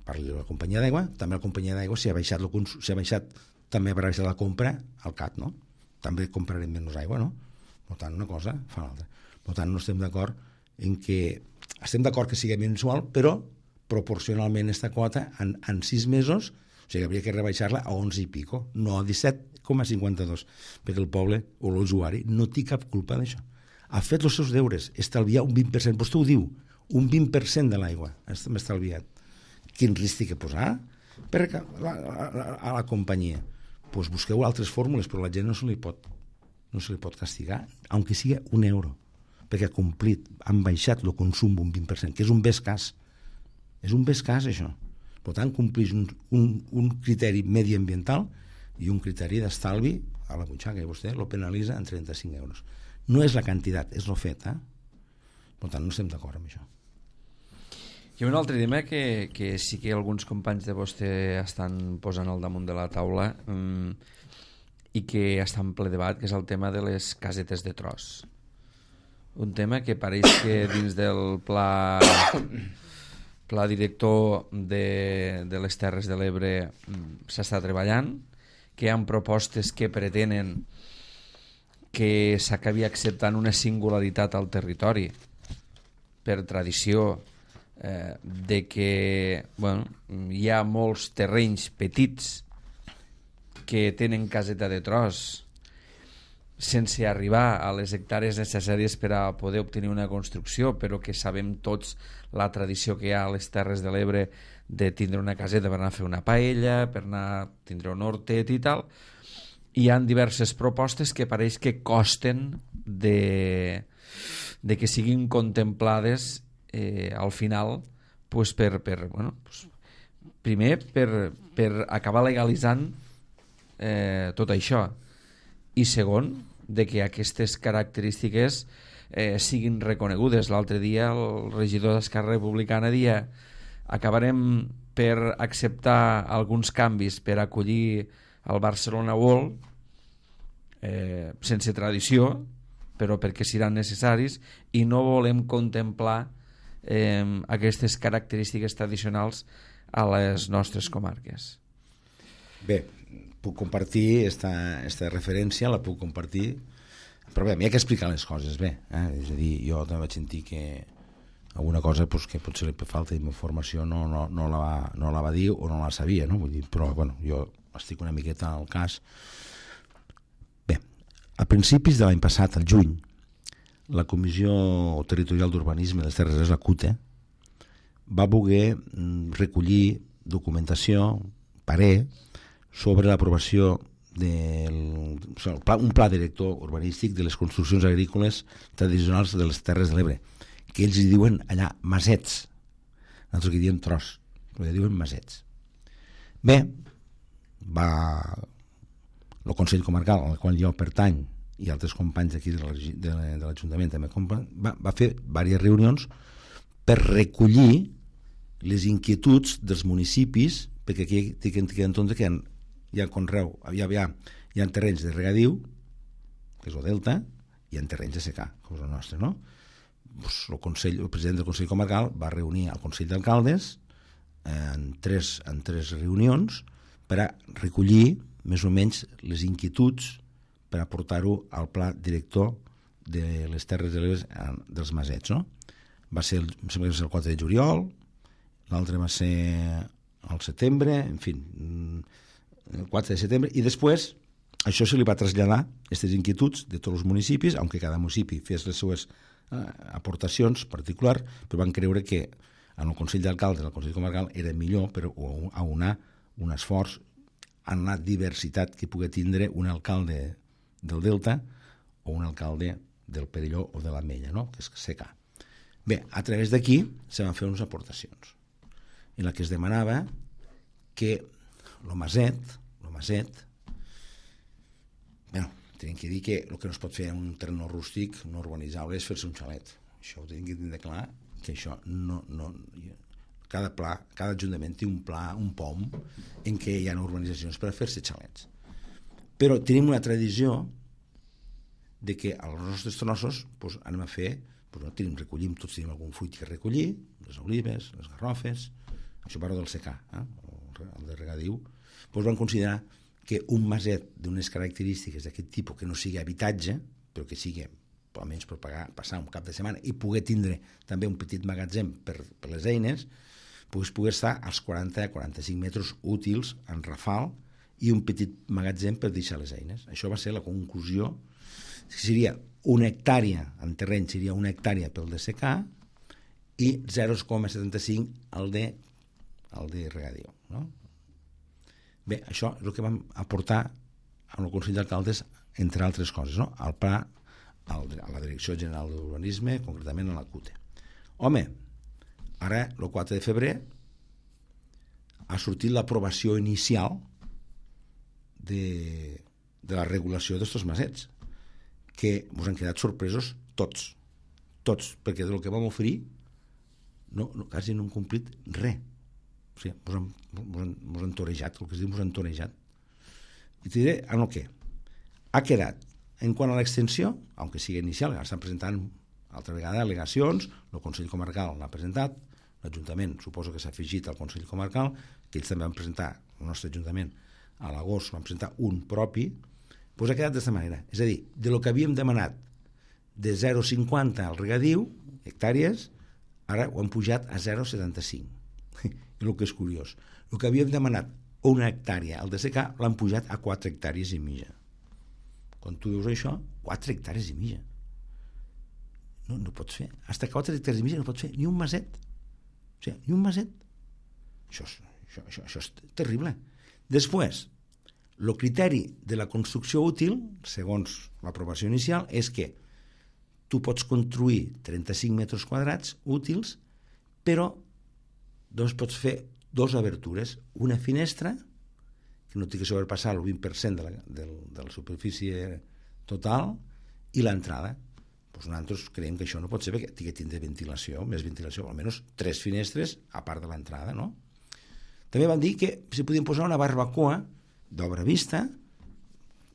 Speaker 2: Parli de la companyia d'aigua, també la companyia d'aigua, si ha baixat, el consum, si ha baixat també haurà baixat la compra al C A T, no? També comprarem menys aigua, no? Per tant, una cosa fa l'altra. Per tant, no estem d'acord en que... Estem d'acord que sigui mensual, però proporcionalment aquesta quota en, en sis mesos, o sigui, hauria que rebaixar-la a onze i pico, no a disset coma cinquanta-dos, perquè el poble o l'usuari no té cap culpa d'això. Ha fet els seus deures, estalviar un vint per cent, vostè ho diu, un vint per cent de l'aigua hem estalviat. Quin risc té que posar per a la, a, a la companyia? Doncs pues busqueu altres fórmules, però la gent no se li pot, no se li pot castigar, aunque sigui un euro, perquè ha complit, han baixat el consum un vint per cent, que és un bé escàs. És un bé escàs, això. Per tant, compleix un, un, un criteri mediambiental i un criteri d'estalvi a la butxaca, i vostè lo penalitza en trenta-cinc euros. No és la quantitat, és lo fet, eh? Per tant, no estem d'acord amb això.
Speaker 1: Hi ha un altre tema que, que sí que alguns companys de vostè estan posant al damunt de la taula um, i que està en ple debat, que és el tema de les casetes de tros. Un tema que pareix que dins del pla, pla director de, de les Terres de l'Ebre s'està treballant, que hi ha propostes que pretenen que s'acabi acceptant una singularitat al territori per tradició, eh, de que bueno, hi ha molts terrenys petits que tenen caseta de tros sense arribar a les hectàrees necessàries per a poder obtenir una construcció, però que sabem tots la tradició que hi ha a les Terres de l'Ebre de tindre una caseta per anar a fer una paella, per anar a tindre un hortet i tal. Hi ha diverses propostes que pareix que costen de, de que siguin contemplades eh, al final pues per, per, bueno, pues, primer per, per acabar legalitzant eh, tot això, i segon, de que aquestes característiques eh, siguin reconegudes. L'altre dia el regidor d'Esquerra Republicana dia acabarem per acceptar alguns canvis per acollir el Barcelona World, eh, sense tradició, però perquè seran necessaris, i no volem contemplar eh, aquestes característiques tradicionals a les nostres comarques.
Speaker 2: Bé, puc compartir esta, esta referència, la puc compartir, però bé, m'hi ha que explicar les coses bé, eh? És a dir, jo també vaig sentir que alguna cosa pues, que potser li falta d'informació no, no, no, la va, no la va dir o no la sabia, no? Vull dir, però bueno, jo estic una miqueta al cas. Bé, a principis de l'any passat, al juny, la Comissió Territorial d'Urbanisme de les Terres de l'Ebre, la C U T E, va voler recollir documentació, parer, sobre l'aprovació d'un pla director urbanístic de les construccions agrícoles tradicionals de les Terres de l'Ebre, que ells hi diuen allà masets, nosaltres que diem tros, però hi diuen masets. Bé, va el Consell Comarcal, al qual jo pertany, i altres companys d'aquí de l'Ajuntament també, va, va fer diverses reunions per recollir les inquietuds dels municipis, perquè aquí té que tenir en compte que hi ha conreu, hi ha, hi ha, hi ha terrenys de regadiu, que és el delta, i hi ha terrenys de secà, com és el nostre, no? Pues el, Consell, el president del Consell Comarcal va reunir el Consell d'Alcaldes en tres, en tres reunions per a recollir més o menys les inquietuds per aportar-ho al pla director de les Terres de l'Ebre dels Masets, no? Va ser el, em sembla que va ser el quatre de juliol, l'altre va ser al setembre, en fi, el quatre de setembre, i després això se li va traslladar, aquestes inquietuds de tots els municipis, aunque cada municipi fes les seues eh, aportacions particulars, però van creure que en el Consell d'Alcaldes, el Consell Comarcal, era millor per aunar un esforç en la diversitat que pugui tindre un alcalde del Delta o un alcalde del Perelló o de l'Ametlla, no? Que és secà. Bé, a través d'aquí se van fer unes aportacions en la que es demanava que el maset, el maset, bueno, tenim que dir que el que no es pot fer en un terreny rústic no urbanitzable és fer-se un xalet. Això ho tenim que tindre clar, que això no... no cada, pla, cada ajuntament té un pla, un P O M, en què hi ha urbanitzacions per a fer-se xalets. Però tenim una tradició de que als nostres trossos pues, anem a fer, pues, no, tenim, recollim, tots tenim algun fruit que recollir, les olives, les garrofes, això parlo del secà, eh? El de regadiu, pues, van considerar que un maset d'unes característiques d'aquest tipus, que no sigui habitatge, però que sigui almenys per pagar, passar un cap de setmana i poder tindre també un petit magatzem per, per les eines, pues, poder estar als quaranta a quaranta-cinc metres útils en rafal i un petit magatzem per deixar les eines. Això va ser la conclusió. Seria una hectàrea en terreny, seria una hectàrea pel de secà i zero coma setanta-cinc el de, el de regadiu, no? Bé, això és el que vam aportar al Consell d'Alcaldes, entre altres coses, no? Al pla, al, a la Direcció General d'Urbanisme, concretament a la C U T E. Home, ara, el quatre de febrer, ha sortit l'aprovació inicial de, de la regulació d'estos masets, que ens han quedat sorpresos tots, tots, perquè del que vam oferir no, no, quasi no hem complit res. O sigui, ens han, han, han torejat, el que es diu, ens han torejat. I te diré en el què. Ha quedat, en quant a l'extensió, aunque sigui inicial, ara estan presentant altra vegada al·legacions, el Consell Comarcal l'ha presentat, l'Ajuntament suposo que s'ha afegit al Consell Comarcal, que ells també van presentar, el nostre Ajuntament, a l'agost van presentar un propi, doncs ha quedat d'aquesta manera. És a dir, de lo que havíem demanat de zero coma cinquanta al regadiu, hectàrees, ara ho han pujat a zero coma setanta-cinc. I el que és curiós, el que havíem demanat una hectàrea al de secà l'han pujat a quatre hectàrees i mitja. Quan tu veus això, quatre hectàrees i mitja. No, no pots fer. Hasta quatre hectàrees i mitja no pots fer ni un maset. O sigui, ni un maset. Això és, això, això, això és terrible. Després, el criteri de la construcció útil, segons l'aprovació inicial, és que tu pots construir trenta-cinc metres quadrats útils, però doncs pots fer dues obertures, una finestra, que no té que sobrepassar el vint per cent de la, de, de la superfície total, i l'entrada. Pues nosaltres creiem que això no pot ser perquè té que tindre ventilació, més ventilació, almenys tres finestres a part de l'entrada, no? També van dir que se podien posar una barbacoa d'obra vista,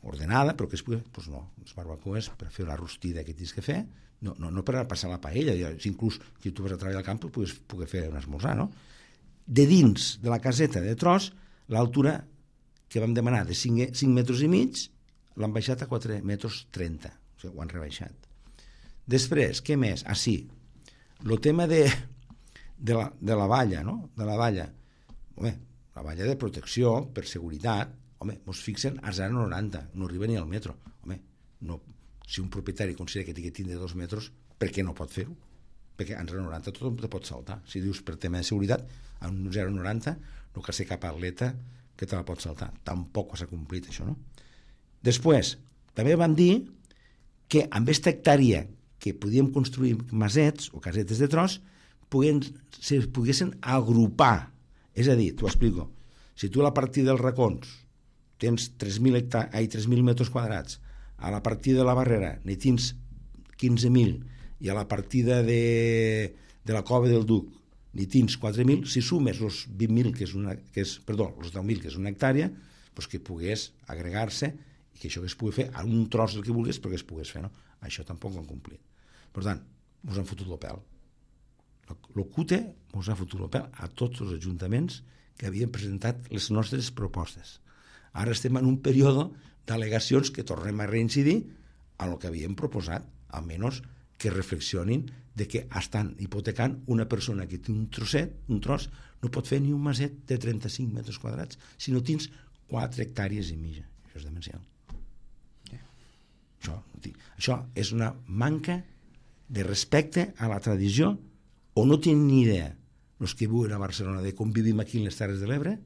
Speaker 2: ordenada, però que es pugui... Doncs no, les barbacoes per fer la rostida que tens que fer, no, no, no per a passar la paella, inclús si tu vas a treballar al camp pugues poder fer un esmorzar, no? De dins de la caseta de tros, l'altura que vam demanar de cinc, cinc metres i mig, l'han baixat a quatre metres trenta, o sigui, ho han rebaixat. Després, què més? Ah, sí, el tema de, de, la, de la valla, no? De la valla. Home, la valla de protecció, per seguretat, home, ens fixen a zero coma noranta, no arriba ni al metro. Home, no, si un propietari considera que té que tindre dos metres, per què no pot fer-ho? Perquè a zero coma noranta tothom te pot saltar. Si dius per tema de seguretat, a un zero coma noranta no cal ser cap atleta que te la pot saltar. Tampoc s'ha complit això, no? Després, també van dir que amb aquesta hectàrea que podíem construir masets o casetes de tros puguen, se poguessin agrupar. És a dir, t'ho explico, si tu a la partida dels racons tens tres mil hectà- ai, tres mil metres quadrats, a la partida de la Barrera n'hi tens quinze mil i a la partida de, de la Cova del Duc n'hi tens quatre mil, si sumes els vint mil, que és una, que és, perdó, els deu mil, que és una hectàrea, doncs que pogués agregar-se i que això que es pugui fer a un tros el que vulguis, però que es pogués fer, no? Això tampoc ho han complit. Per tant, ens han fotut el pèl. El C U T E ens ha fotut el pèl a tots els ajuntaments que havien presentat les nostres propostes. Ara estem en un període d'al·legacions que tornem a reincidir a el que havíem proposat, almenys que reflexionin de que estan hipotecant una persona que té un trosset, un tros, no pot fer ni un maset de trenta-cinc metres quadrats si no tens quatre hectàrees i mitja. Això és demencial. Això, això és una manca de respecte a la tradició, o no tenen ni idea els que viuen a Barcelona de com vivim aquí en les Terres de l'Ebre,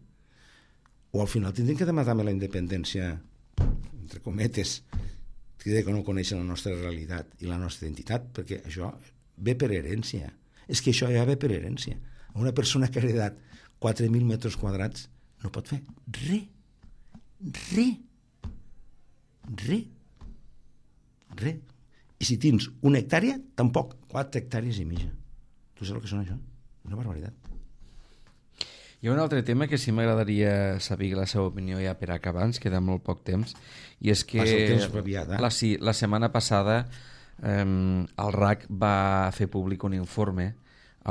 Speaker 2: o al final tindrem que demanar també la independència, entre cometes, que no coneixen la nostra realitat i la nostra identitat, perquè això ve per herència. És que això ja ve per herència. Una persona que ha heredat quatre mil metres quadrats no pot fer res. Res. Res. Res. I si tens una hectàrea, tampoc. Quatre hectàrees i mitja. Tu saps el que són això? Una barbaritat.
Speaker 1: Hi ha un altre tema que sí m'agradaria saber la seva opinió ja per acabar, ens queda molt poc temps, i és que
Speaker 2: aviat, eh?
Speaker 1: la, sí, la setmana passada eh, el R A C va fer públic un informe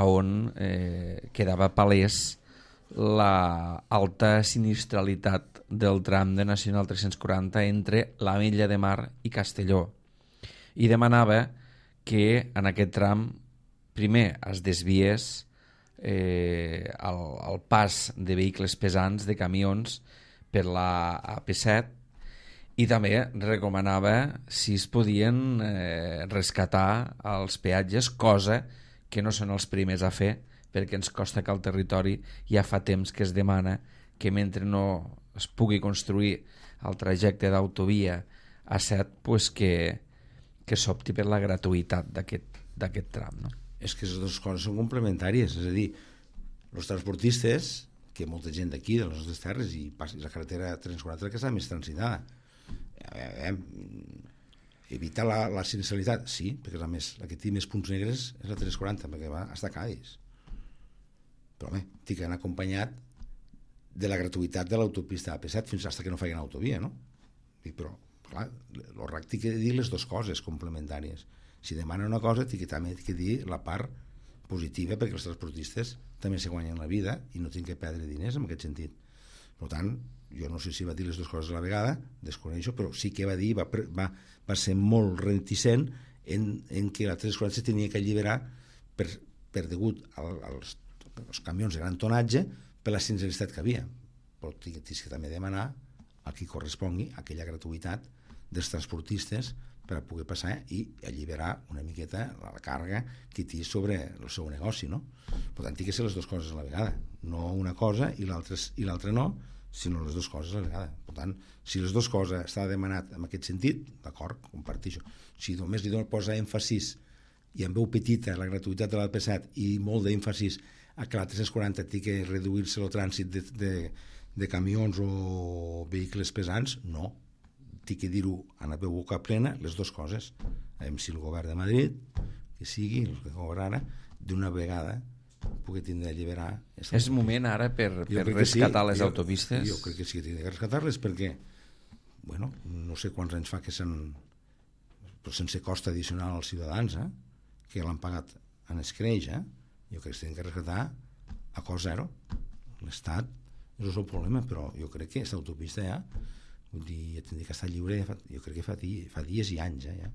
Speaker 1: on eh, quedava palès la alta sinistralitat del tram de Nacional tres-cents quaranta entre l'Ametlla de Mar i Castelló, i demanava que en aquest tram primer es desviés eh, el, el pas de vehicles pesants, de camions, per la A P set, i també recomanava si es podien eh, rescatar els peatges, cosa que no són els primers a fer, perquè ens costa que al territori ja fa temps que es demana que mentre no es pugui construir el trajecte d'autovia A set, pues que, que s'opti per la gratuïtat d'aquest tram, no?
Speaker 2: És que les dues coses són complementàries, és a dir, els transportistes, que molta gent d'aquí, de les nostres terres, i la carretera tres cents quaranta que està més transitada, eh, evitar la, la sinistralitat, sí, perquè a més la que té més punts negres és la tres cents quaranta, perquè va fins a Cádiz, però bé, tinc d'anar acompanyat de la gratuïtat de l'autopista A P set fins fins que no facin autovia, no? Dic, però, clar, el R A C té que dir les dues coses complementàries. Si demana una cosa, té que també té que dir la part positiva, perquè els transportistes també se guanyen la vida i no tenen que perdre diners en aquest sentit. Per tant, jo no sé si va dir les dues coses a la vegada, desconeixo, però sí que va dir, va, va, va ser molt reticent en, en que la tres cents quaranta se tenia que alliberar per, per degut al, als, als camions de gran tonatge per la sinistralitat que havia. Però tens que també demanar a qui correspongui aquella gratuïtat dels transportistes per a poder passar i alliberar una miqueta la càrrega que té sobre el seu negoci, no? Per tant, té que ser les dues coses a la vegada, no una cosa i l'altra no, sinó les dues coses a la vegada. Per tant, si les dues coses està demanat en aquest sentit, d'acord, comparteixo. Si només li posa èmfasis i en veu petita la gratuïtat de l'A P set i molt d'èmfasis a que la tres cents quaranta té que reduir-se el trànsit de, de, de camions o vehicles pesants, no. Té que dir-ho a la boca plena, les dues coses. A veure si el govern de Madrid, que sigui, el que govern ara, d'una vegada pugui tindre d'alliberar...
Speaker 1: És moment ara per, per rescatar sí, les
Speaker 2: jo,
Speaker 1: autopistes?
Speaker 2: Jo crec que sí que tindrà que rescatar-les perquè, bueno, no sé quants anys fa que s'han... però sense cost addicional als ciutadans, eh? Que l'han pagat en escreix, eh? Jo crec que s'han que rescatar a cost zero. L'Estat és el seu problema, però jo crec que aquesta autopista ja... Vull dir, ja tindria que estar lliure, jo crec que fa, fa dies i anys, eh, ja.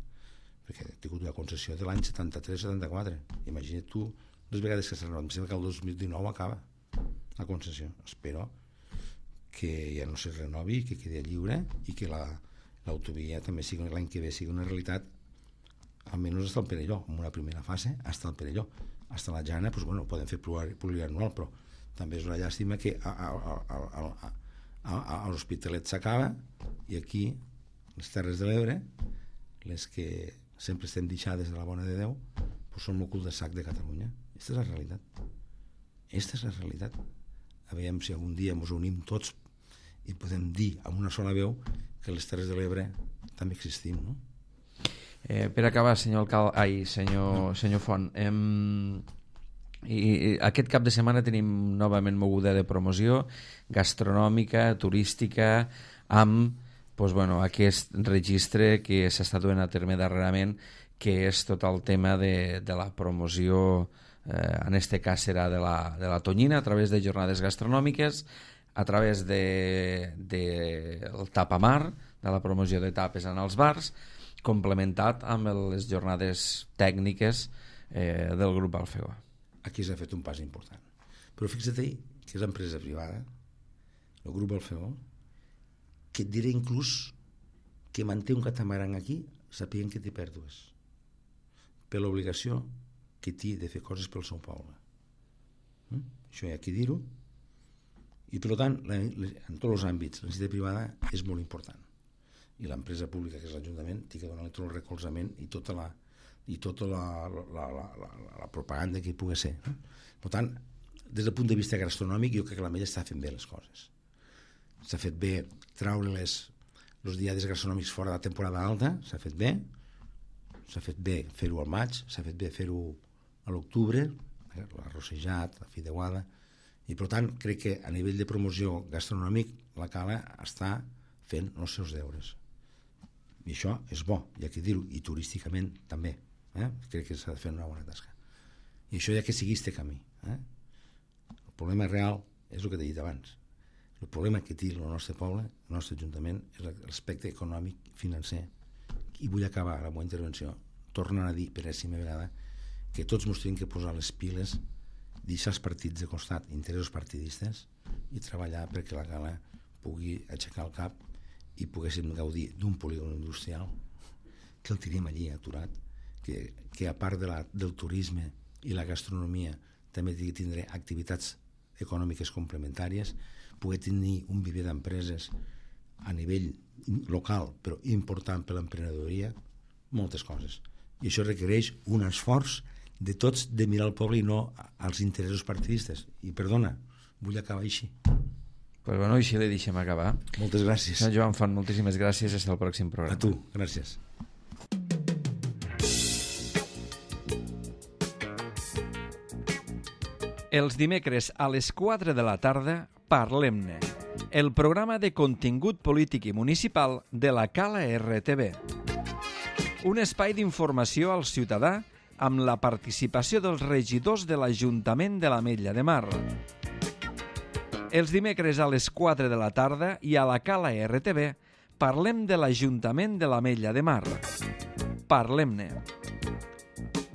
Speaker 2: Perquè he tingut una concessió de l'any setanta-tres setanta-quatre. Imagina't tu les vegades que s'ha renovat. Em sembla que el dos mil dinou acaba la concessió. Espero que ja no se renovi, que quedi lliure i que l'autovia també sigui l'any que ve sigui una realitat, almenys fins al Perelló, en una primera fase, fins al Perelló. Fins a la Jana, doncs, bueno, podem fer plurianual, però també és una llàstima que a, a, a, a, a a l'Hospitalet s'acaba i aquí, les Terres de l'Ebre, les que sempre estem deixades de la bona de Déu, doncs són el cul de sac de Catalunya. Aquesta és la realitat. Aquesta és la realitat. A veure si algun dia ens unim tots i podem dir amb una sola veu que les Terres de l'Ebre també existim, no?
Speaker 1: Eh, per acabar, senyor alcalde, ai, senyor, no. senyor Font, em... I aquest cap de setmana tenim novament moguda de promoció gastronòmica, turística, amb doncs, bueno, aquest registre que s'està duent a terme darrerament, que és tot el tema de, de la promoció, eh, en este cas serà de la, de la tonyina, a través de jornades gastronòmiques, a través de, de el tapamar, de la promoció de tapes en els bars, complementat amb les jornades tècniques eh, del grup Alfeo.
Speaker 2: Aquí s'ha fet un pas important. Però fixa't que és empresa privada, el grup Alfeo, que et diré inclús que manté un catamaran aquí sapien que té pèrdues per l'obligació que té de fer coses pel seu poble. Mm? Això hi ha que dir-ho. I per tant, en tots els àmbits, la necessitat privada és molt important. I l'empresa pública, que és l'Ajuntament, té que donar-li tot el recolzament i tota la, i tota la, la, la, la, la propaganda que hi pugui ser. Eh? Per tant, des del punt de vista gastronòmic, jo crec que l'Ametlla està fent bé les coses. S'ha fet bé traure les, els diaris gastronòmics fora de la temporada alta, s'ha fet bé, s'ha fet bé fer-ho al maig, s'ha fet bé fer-ho a l'octubre, eh? l'arrossejat, la fideuada, i per tant crec que a nivell de promoció gastronòmic la Cala està fent els seus deures. I això és bo, hi ha que dir-ho, i turísticament també. Eh? Crec que s'ha de fer una bona tasca. I això hi ha que seguir este camí. Eh? El problema real és el que t'he dit abans. El problema que té el nostre poble, el nostre ajuntament, és l'aspecte econòmic, financer. I vull acabar la meva intervenció tornant a dir per enèsima vegada que tots ens tenim que posar les piles, deixar els partits de costat, interessos partidistes, i treballar perquè la Cala pugui aixecar el cap i poguéssim gaudir d'un polígon industrial que el tenim allí aturat, que, que a part de la, del turisme i la gastronomia també tindrà activitats econòmiques complementàries, poder tenir un viver d'empreses a nivell local però important per l'emprenedoria, moltes coses. I això requereix un esforç de tots de mirar el poble i no als interessos partidistes. I perdona, vull acabar així.
Speaker 1: Pues bueno, així li deixem acabar.
Speaker 2: Moltes gràcies.
Speaker 1: Joan Font, moltíssimes gràcies. Fins al pròxim programa.
Speaker 2: A tu, gràcies.
Speaker 1: Els dimecres a les quatre de la tarda, Parlem-ne, el programa de contingut polític i municipal de la Cala R T V. Un espai d'informació al ciutadà amb la participació dels regidors de l'Ajuntament de l'Ametlla de Mar. Els dimecres a les quatre de la tarda i a la Cala R T V parlem de l'Ajuntament de l'Ametlla de Mar. Parlem-ne.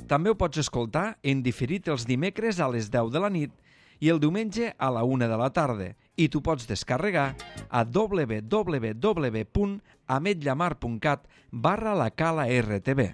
Speaker 1: També ho pots escoltar en diferit els dimecres a les deu de la nit i el diumenge a la una de la tarda i tu pots descarregar a w w w punt ametlamar punt cat barra la Cala R T V.